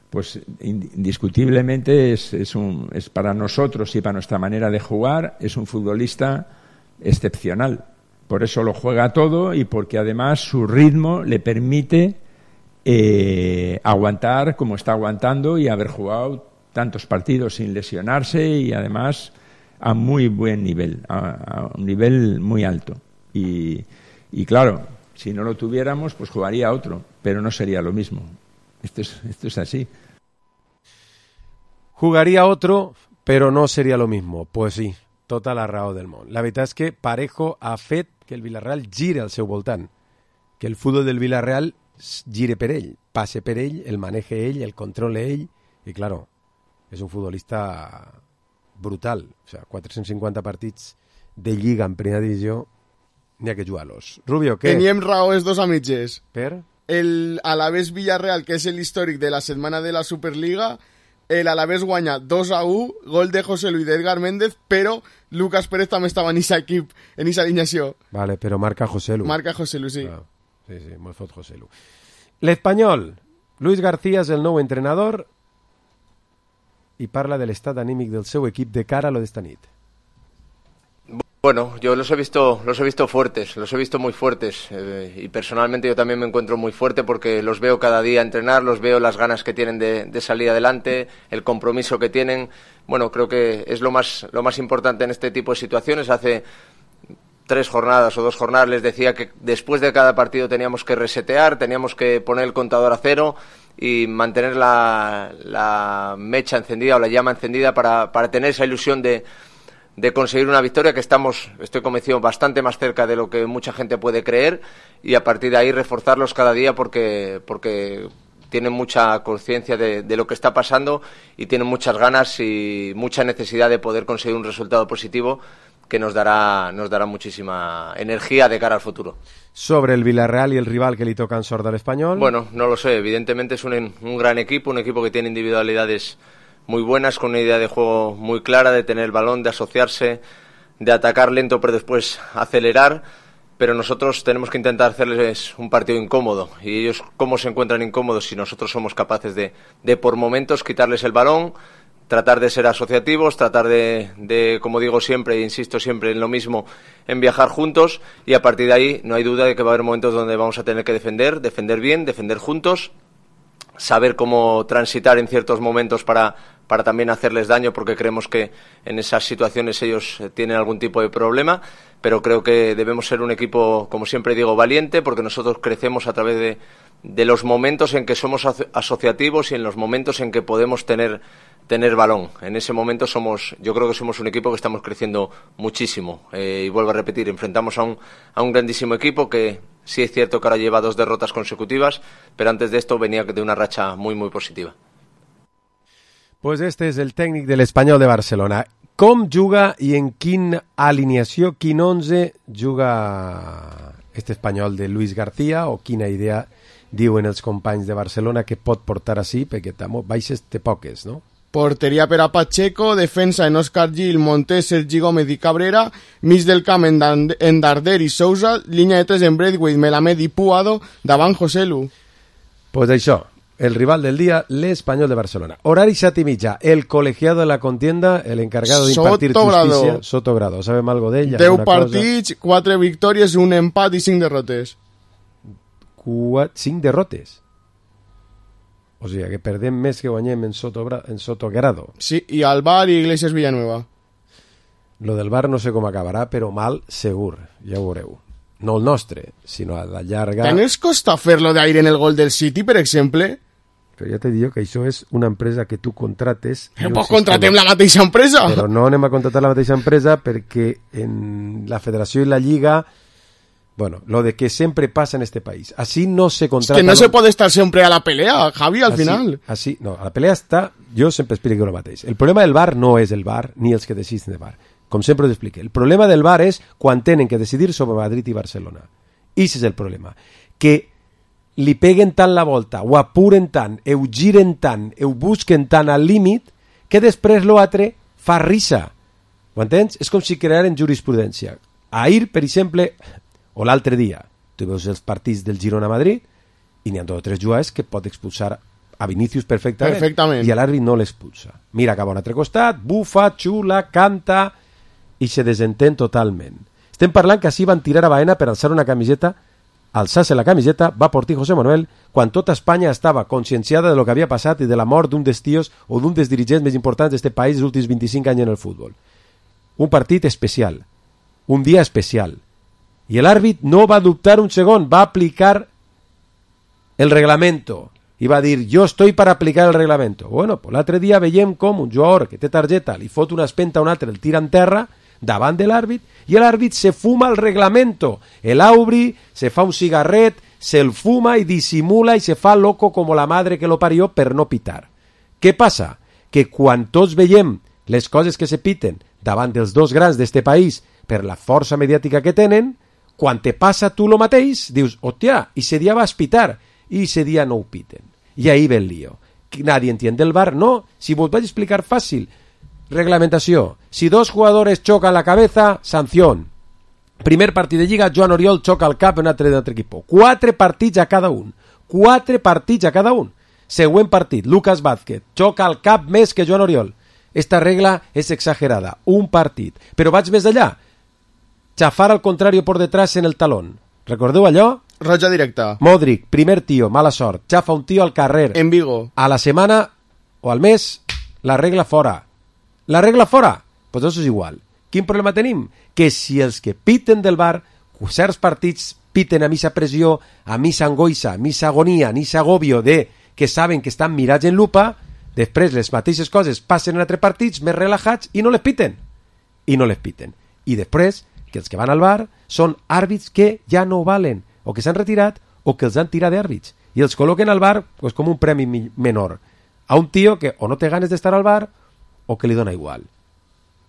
pues indiscutiblemente es, es, un, es para nosotros y para nuestra manera de jugar, es un futbolista excepcional. Por eso lo juega todo y porque además su ritmo le permite eh, aguantar como está aguantando y haber jugado tantos partidos sin lesionarse y además a muy buen nivel, a, a un nivel muy alto. Y, y claro, si no lo tuviéramos, pues jugaría otro, pero no sería lo mismo. Esto es, esto es así. Jugaría otro, pero no sería lo mismo. Pues sí, tota la raó del món. La veritat és que Parejo ha fet que el Villarreal gire al seu voltant, que el futbol del Villarreal gire per ell, passe per ell, el maneje ell, el controle ell, i claro, és un futbolista brutal. O sea, quatre-cents cinquanta partits de Lliga en primera divisió, n'hi ha que jugar-los. Rubio, què? Teníem raó els dos a mitges. Per? El Alavés Villarreal, que és l'històric de la setmana de la Superliga, el Alavés guanya dos a u, gol de José Luis de Edgar Méndez, però Lucas Pérez també estava en aquesta equip, en aquesta alineació. Vale, però marca José Lu. Marca José Lu, sí. Ah, sí, sí, molt fot José Lu. L'Espanyol, Luis García és el nou entrenador i parla de l'estat anímic del seu equip de cara a lo d'esta nit. Bueno, yo los he visto, los he visto fuertes, los he visto muy fuertes eh, y personalmente yo también me encuentro muy fuerte porque los veo cada día entrenar, los veo las ganas que tienen de, de salir adelante, el compromiso que tienen. Bueno, creo que es lo más, lo más importante en este tipo de situaciones. Hace tres jornadas o dos jornadas les decía que después de cada partido teníamos que resetear, teníamos que poner el contador a cero y mantener la, la mecha encendida o la llama encendida para, para tener esa ilusión de de conseguir una victoria que estamos, estoy convencido, bastante más cerca de lo que mucha gente puede creer y a partir de ahí reforzarlos cada día porque, porque tienen mucha conciencia de, de lo que está pasando y tienen muchas ganas y mucha necesidad de poder conseguir un resultado positivo que nos dará, nos dará muchísima energía de cara al futuro. Sobre el Villarreal y el rival que le toca en sorda al Español. Bueno, no lo sé, evidentemente es un, un gran equipo, un equipo que tiene individualidades muy buenas, con una idea de juego muy clara, de tener el balón, de asociarse, de atacar lento pero después acelerar, pero nosotros tenemos que intentar hacerles un partido incómodo y ellos cómo se encuentran incómodos si nosotros somos capaces de, de por momentos quitarles el balón, tratar de ser asociativos, tratar de, de, como digo siempre e insisto siempre en lo mismo, en viajar juntos y a partir de ahí no hay duda de que va a haber momentos donde vamos a tener que defender, defender bien, defender juntos, saber cómo transitar en ciertos momentos para para también hacerles daño porque creemos que en esas situaciones ellos tienen algún tipo de problema, pero creo que debemos ser un equipo, como siempre digo, valiente porque nosotros crecemos a través de, de los momentos en que somos asociativos y en los momentos en que podemos tener tener balón. En ese momento somos, yo creo que somos un equipo que estamos creciendo muchísimo eh, y vuelvo a repetir, enfrentamos a un, a un grandísimo equipo que sí es cierto que ahora lleva dos derrotas consecutivas, pero antes de esto venía de una racha muy muy positiva. Pues este és el tècnic de l'Espanyol de Barcelona. Com juga i en quin alineació, quin onze juga este Espanyol de Luis García o quina idea diuen els companys de Barcelona que pot portar així, perquè també baixes té poques, no? Porteria per a Pacheco, defensa en Òscar Gil, Montés, Sergi Gómez i Cabrera, mig del camp en Darder i Sousa, línia de tres en Braithwaite, Melamed i Puado, davant José Lu. Pues això, el rival del día, l'Espanyol de Barcelona. Horari set i mitja, el colegiado de la contienda, el encargado de impartir justícia, Sotogrado. ¿Sabem algo d'ell? deu partits, quatre victòries, un empat i cinc derrotes. cinc derrotes? O sigui, que perdem més que guanyem en, Soto, en Sotogrado. Sí, i al Bar i Iglesias Villanueva. Lo del Bar no sé com acabarà, però mal segur, ja ho veureu. No el nostre, sinó a la llarga... Tant els costa fer-lo d'aire en el gol del City, per exemple? Però ja te dic que això és una empresa que tu contrates... Però pues contratem la mateixa empresa! Però no anem a contratar la mateixa empresa perquè en la federació i la lliga... Bueno, lo de que sempre passa en este país. Así no se contrata... Es que no se puede estar siempre a la pelea, Javi, al así, final. Así, no, a la pelea està... Jo sempre explico el mateix. El problema del V A R no és el V A R ni els que deciden de V A R. Com sempre us explique. El problema del V A R és quan tenen que decidir sobre Madrid i Barcelona. I ese és el problema. Que li peguen tant la volta, ho apuren tant, ho giren tant, ho busquen tant al límit, que després l'altre fa risa. Ho entens? És com si crearen jurisprudència. Ahir, per exemple, o l'altre dia, tu veus els partits del Girona-Madrid i n'hi ha dos o tres jugades que pot expulsar a Vinícius perfectament, perfectament. i l'àrbit no l'expulsa. Mira cap a un altre costat, bufa, xula, canta i se desentén totalment. Estem parlant que així van tirar a Baena per alçar una camiseta, alçar-se la camiseta, va portar José Manuel, quan tota Espanya estava conscienciada de lo que havia passat i de la mort d'un dels tios o d'un dels dirigents més importants d'aquest país dels últims vint-i-cinc anys en el futbol. Un partit especial, un dia especial. I l'àrbit no va dubtar un segon, va aplicar el reglamento i va dir, jo estoy para aplicar el reglamento. Bueno, pues l'altre dia veiem com un jugador que té targeta li fot una espenta a un altre, el tira en terra davant de l'àrbit i l'àrbit se fuma el reglamento. El Aubry se fa un cigarret, se'l fuma i dissimula i se fa loco com la madre que lo parió per no pitar. Què passa? Que quan tots veiem les coses que se piten davant dels dos grans d'este país per la força mediàtica que tenen, quan te passa tu lo mateix, dius, hòstia, i ese dia vas pitar, i ese dia no ho piten. I ahí ve el lío. Nadie entiende el V A R, no. Si vos vaig explicar fàcil, reglamentació. Si dos jugadores chocan la cabeza, sanción. Primer partit de Lliga, Joan Oriol xoca el cap en un altre, altre equip. Quatre partits a cada un. Quatre partits a cada un. Següent partit, Lucas Vázquez xoca el cap més que Joan Oriol. Esta regla és exagerada. Un partit. Però vaig més allà. Chafar al contrario por detrás en el talón. Recordeu allò? Roja directa. Modric, primer tío, mala sort. Chafa un tío al carrer. En Vigo. A la setmana o al mes, la regla fora. La regla fora? Pues això és igual. Quin problema tenim? Que si els que piten del V A R, certs partits piten a missa pressió, a missa angoixa, a missa agonia, a missa agobio de que saben que estan mirats en lupa, després les mateixes coses passen en altres partits més relajats i no les piten. I no les piten. I després que els que van al V A R són àrbits que ja no valen, o que s'han retirat o que els han tirat d'àrbits. I els col·loquen al V A R pues, com un premi menor. A un tio que o no té ganes d'estar al V A R o que li dona igual.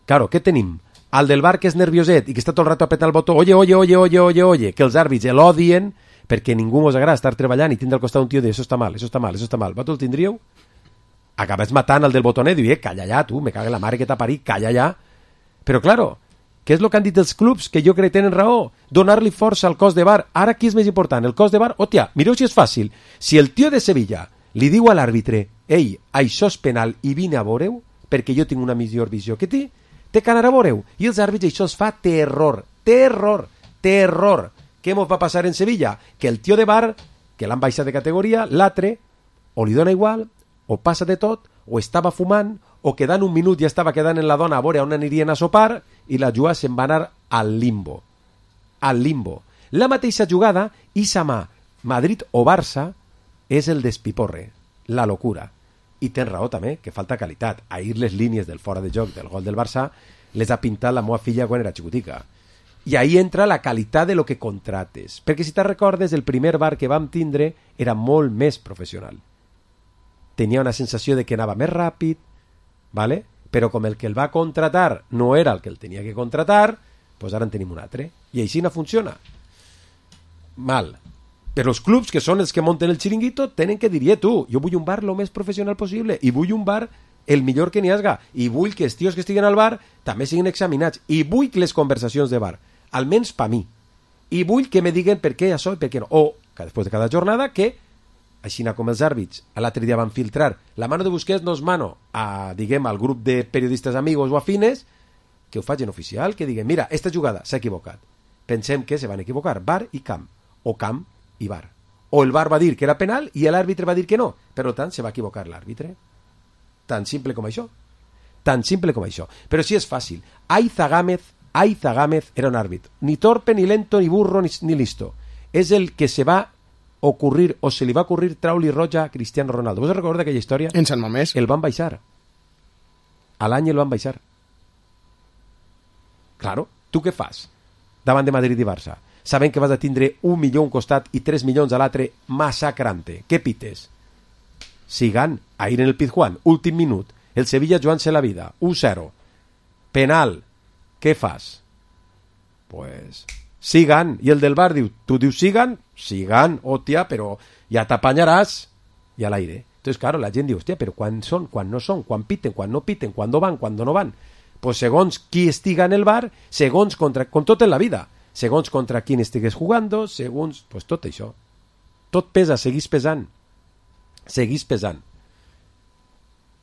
Claro, què tenim? Al del V A R que és nervioset i que està tot el rato apretant el botó, oye, oye, oye, oye, oye, oye, que els àrbits l'odien perquè ningú us agrada estar treballant i tindre al costat un tio de això està mal, això està mal, això està mal. Vosaltres el tindríeu? Acabes matant el del botonet i diu, eh, calla ja, tu, me caga la mare que t'ha parit, calla ja. Però, claro, què és el que han dit els clubs? Que jo crec que tenen raó. Donar-li força al cos de V A R. Ara, qui és més important? El cos de V A R? Hòstia, mireu si és fàcil. Si el tio de Sevilla li diu a l'àrbitre, ei, això és penal i vine a veure-ho, perquè jo tinc una millor visió que ti, té que anar a veure-ho. I els àrbits això es fa terror, terror, terror. Què mos va passar en Sevilla? Que el tio de V A R, que l'han baixat de categoria, l'altre, o li dona igual, o passa de tot, o estava fumant, o quedant un minut ja estava quedant en la dona a veure on anirien a sopar, i la jugada se'n va anar al limbo. Al limbo. La mateixa jugada, Isama, Madrid o Barça, és el despiporre, la locura. I tens raó també, que falta qualitat. Ahir les línies del fora de joc del gol del Barça les ha pintat la meva filla quan era xicotica. I ahí entra la qualitat de lo que contrates. Perquè si te'n recordes, el primer V A R que vam tindre era molt més professional. Tenia una sensació de que anava més ràpid, ¿vale? Però com el que el va contratar no era el que el tenia que contratar, doncs ara en tenim un altre. I així no funciona. Mal. Però els clubs, que són els que munten el xiringuito, tenen que dir, eh, tu, jo vull un bar lo més professional possible i vull un bar el millor que n'hi hagi. I vull que els tios que estiguen al bar també siguin examinats. I vull que les conversacions de bar, almenys per mi. I vull que me diguen per què això i per què no. O, que després de cada jornada, que així com els àrbits, l'altre dia van filtrar la mano de Busquets no és mano a, diguem, al grup de periodistes amigos o afines, que ho facin oficial, que diguen, mira, esta jugada s'ha equivocat. Pensem que se van equivocar V A R i camp, o camp i V A R. O el V A R va dir que era penal i l'àrbitre va dir que no. Per tant, se va equivocar l'àrbitre. Tan simple com això. Tan simple com això. Però sí és fàcil. Aiza Gámez, Aiza Gámez era un àrbit. Ni torpe, ni lento, ni burro, ni, ni listo. És el que se va ocurrir, o se li va ocurrir traure-li roja a Cristiano Ronaldo. Vos recordeu d'aquella història? En Sant Mamés. El van baixar. A l'any el van baixar. Claro, tu què fas davant de Madrid i Barça? Sabent que vas a tindre un milió a un costat i tres milions a l'altre, massacrante. Què pites? Sigan, ahir en el Pizjuán, últim minut, el Sevilla jugant-se la vida, u zero. Penal. Què fas? Pues... Sigan, i el del V A R diu, tu dius sigan, sigan, hòstia, però ja t'apanyaràs, i a l'aire. Entonces, claro, la gent diu, hòstia, però quan són, quan no són, quan piten, quan no piten, quan no van, quan no van. pues segons qui estiga en el bar, segons contra... com tot en la vida, segons contra qui estigues jugando, segons... pues tot això. Tot pesa, seguís pesant. Seguís pesant.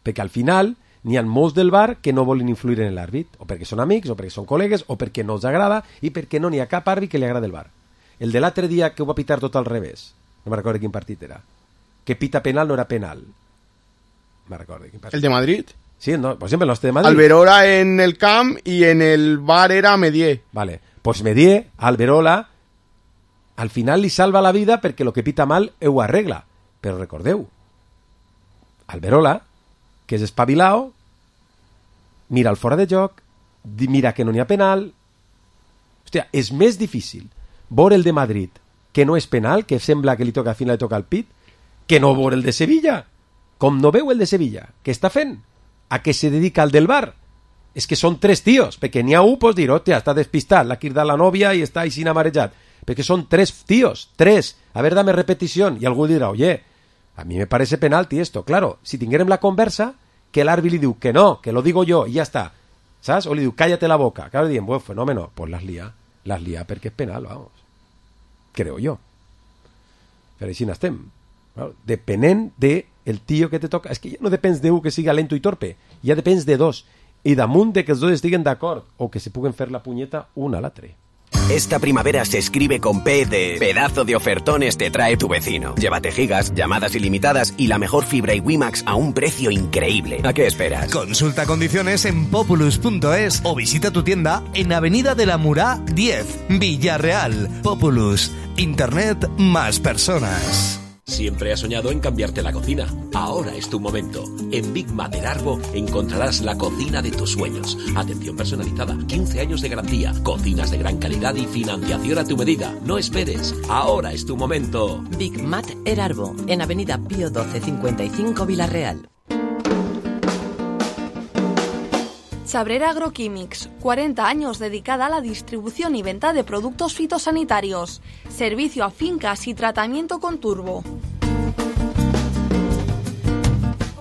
Perquè al final n'hi ha molts del bar que no volen influir en l'àrbit, o perquè són amics, o perquè són col·legues, o perquè no els agrada, i perquè no n'hi ha cap àrbit que li agrada el bar. El de l'altre dia que ho va pitar tot al revés, no me'n recordo quin partit era, que pita penal no era penal. Me recordo quin partit. ¿El de Madrid? Sí, no, por ejemplo, el nostre de Madrid. Alberola en el camp y en el bar era Medier. Vale, pues Medier, Alberola, al final li salva la vida perquè lo que pita mal ho arregla. Però recordeu, Alberola, que és espavilao, mira el fora de joc, mira que no n'hi ha penal. Hòstia, és més difícil veure el de Madrid, que no és penal, que sembla que li toca al final li toca el pit, que no veure el de Sevilla. Com no veu el de Sevilla, què està fent? A què se dedica el del bar? És que són tres tios, perquè n'hi ha un, pues dir, hòstia, està despistat, l'ha cridat la nòvia i està així amarejat. Perquè són tres tios, tres. A ver, dame repetición. Y algú dirà, oye, a mí me parece penalti esto. Claro, si tinguérem la conversa, que l'àrbit li diu que no, que lo digo yo, i ja està. ¿Sabes? O li diu, cállate la boca. Claro, diem, buen fenómeno. Pues las lía. Las lía perquè és penal, vamos. Creo yo. Però així n'estem. Claro, depenent de el tío que te toca. És que ja no depens de un que siga lento i torpe. Ja depens de dos. I damunt de que els dos estiguen d'acord o que se puguen fer la punyeta un a l'altre. Esta primavera se escribe con P de pedazo de ofertones te trae tu vecino. Llévate gigas, llamadas ilimitadas y la mejor fibra y WiMax a un precio increíble. ¿A qué esperas? Consulta condiciones en populus punto es o visita tu tienda en Avenida de la Murá diez, Villarreal. Populus, Internet más personas. Siempre has soñado en cambiarte la cocina. Ahora es tu momento. En Big Mater Arbo encontrarás la cocina de tus sueños. Atención personalizada, quince años de garantía, cocinas de gran calidad y financiación a tu medida. No esperes. Ahora es tu momento. Big Mater Arbo, en Avenida Pío doce cincuenta y cinco, Villarreal. Chabrera Agroquímics, cuarenta años dedicada a la distribución y venta de productos fitosanitarios, servicio a fincas y tratamiento con turbo.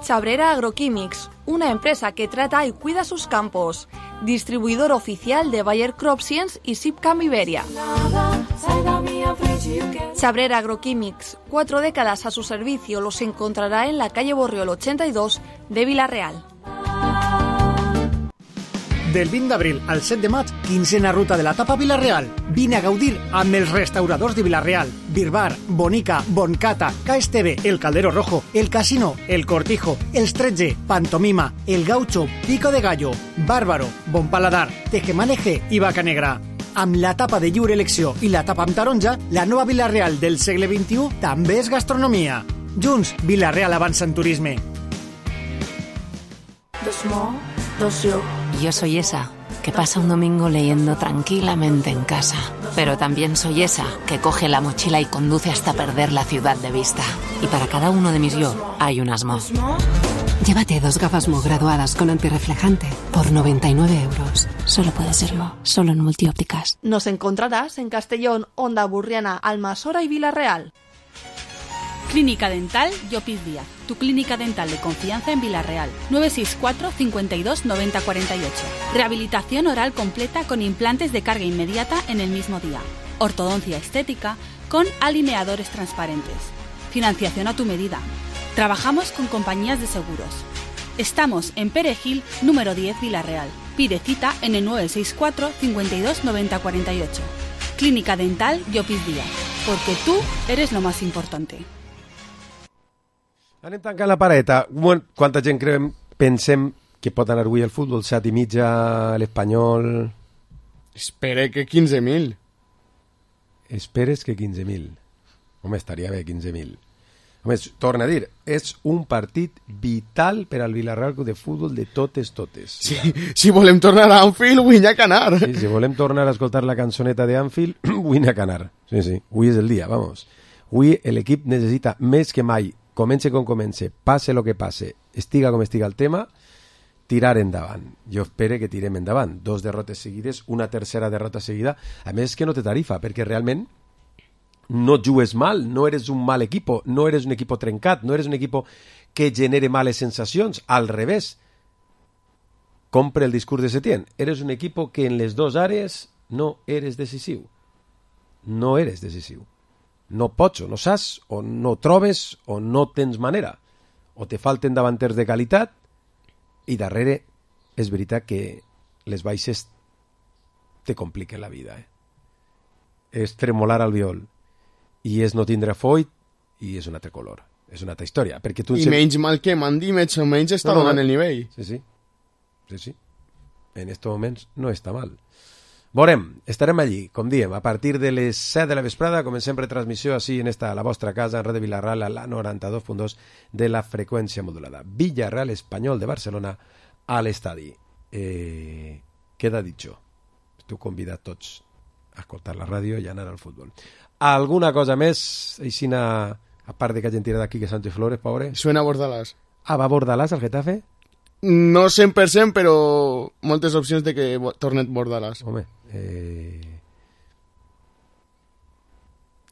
Chabrera Agroquímics, una empresa que trata y cuida sus campos, distribuidor oficial de Bayer Crop Science y Sipcam Iberia. Chabrera Agroquímics, cuatro décadas a su servicio, los encontrará en la calle Borriol ochenta y dos de Villarreal. Del vint d'abril al set de maig, quinzena ruta de la tapa Vilareal. Vine a gaudir amb els restauradors de Vilareal. Birbar, Bonica, Boncata, K S T V, El Caldero Rojo, El Casino, El Cortijo, Els tretze, Pantomima, El Gaucho, Pico de Gallo, Bárbaro, Bon Paladar, Tejemaneje i Vaca Negra. Amb la tapa de lliure elecció i la tapa amb taronja, la nova Vilareal del segle vint-i-u també és gastronomia. Junts, Vilareal avança en turisme. Dos mo, dos yo. Yo soy esa que pasa un domingo leyendo tranquilamente en casa. Pero también soy esa que coge la mochila y conduce hasta perder la ciudad de vista. Y para cada uno de mis yo hay un asmo. Llévate dos gafas Mo graduadas con antirreflejante por noventa y nueve euros. Solo puede ser Mo, solo en Multiópticas. Nos encontrarás en Castellón, Onda Burriana, Almasora y Villarreal. Clínica Dental Llopis Díaz, tu clínica dental de confianza en Villarreal. nueve seis cuatro, cincuenta y dos, noventa cuarenta y ocho. Rehabilitación oral completa con implantes de carga inmediata en el mismo día. Ortodoncia estética con alineadores transparentes. Financiación a tu medida. Trabajamos con compañías de seguros. Estamos en Perejil, número diez, Villarreal. Pide cita en el nueve seis cuatro, cincuenta y dos, noventa cuarenta y ocho. Clínica Dental Llopis Díaz, porque tú eres lo más importante. Anem tancant la pareta. Quanta gent creiem, pensem que pot anar avui al futbol? Set i mitja, l'Espanyol... Espere que quinze mil. Esperes que quinze mil. Home, estaria bé quinze mil. Home, torna a dir, és un partit vital per al Villarreal de futbol de totes, totes. Sí, si volem tornar a Anfield, vull anar a canar. Sí, si volem tornar a escoltar la cançoneta de Anfield, vull anar a canar. Sí, sí, avui és el dia, vamos. Avui l'equip necessita més que mai, comence com comence, passe lo que passe, estiga com estiga el tema, tirar endavant. Jo espero que tirem endavant. Dos derrotes seguides, una tercera derrota seguida. A més que no té tarifa, perquè realment no jugues mal, no eres un mal equipo, no eres un equipo trencat, no eres un equipo que genere males sensacions, al revés. compre el discurs de Setién. Eres un equipo que en les dos àrees no eres decisiu. No eres decisiu. No pots, o no saps, o no trobes, o no tens manera. O te falten davanters de qualitat, i darrere és veritat que les baixes te compliquen la vida. Eh? És tremolar al viol, i és no tindre foll, i és un altre color. És una altra història. Perquè tu I sempre... menys mal que Mandy, menys o menys està no, no, donant el nivell. Sí, sí. Sí, sí. En aquests moments no està mal. Veurem, estarem allí, com diem, a partir de les set de la vesprada, comencem retransmissió així en esta, a la vostra casa, en Red de Vilarreal, a la noranta-dos punt dos de la freqüència modulada. Villarreal Espanyol de Barcelona a l'estadi. Eh, queda dicho. Esteu convidats tots a escoltar la ràdio i a anar al futbol. Alguna cosa més, Aixina, a part de que hagin tirat aquí que Sánchez Flores, pobre? Suena Bordalás. Ah, va Bordalás al Getafe? No cent per cent, però moltes opcions de que torni Bordalás. Home, eh...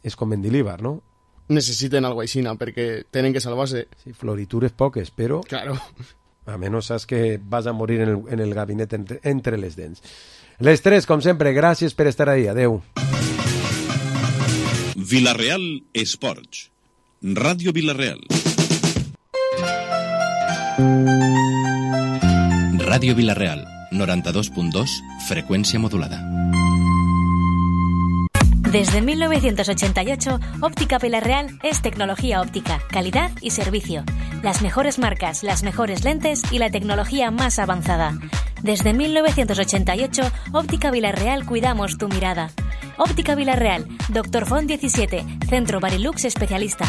és com Mendilibar, no? Necessiten algo aixina, perquè tenen que salvar-se. Sí, floritures poques, però... Claro. A menys saps que vas a morir en el, en el gabinet entre, entre les dents. Les tres, com sempre, gràcies per estar ahí. Adeu. Vilarreal Esports. Ràdio Vilarreal. Radio Vilarreal, noranta-dos punt dos, frecuencia modulada. Desde mil novecientos ochenta y ocho, Óptica Vilarreal es tecnología óptica, calidad y servicio. Las mejores marcas, las mejores lentes y la tecnología más avanzada. Desde mil novecientos ochenta y ocho, Óptica Vilarreal cuidamos tu mirada. Óptica Vilarreal, Doctor Font diecisiete, Centro Barilux especialista.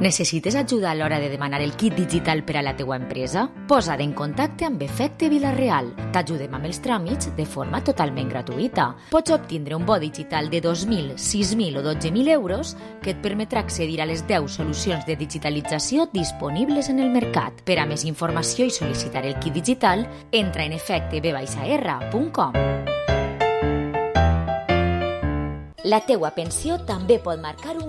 Necessites ajuda a l'hora de demanar el kit digital per a la teua empresa? Posa't en contacte amb Efecte Vilarreal. T'ajudem amb els tràmits de forma totalment gratuïta. Pots obtindre un bo digital de dos mil, sis mil o dotze mil euros que et permetrà accedir a les deu solucions de digitalització disponibles en el mercat. Per a més informació i sol·licitar el kit digital, entra en efecte b r punt com. La teua pensió també pot marcar un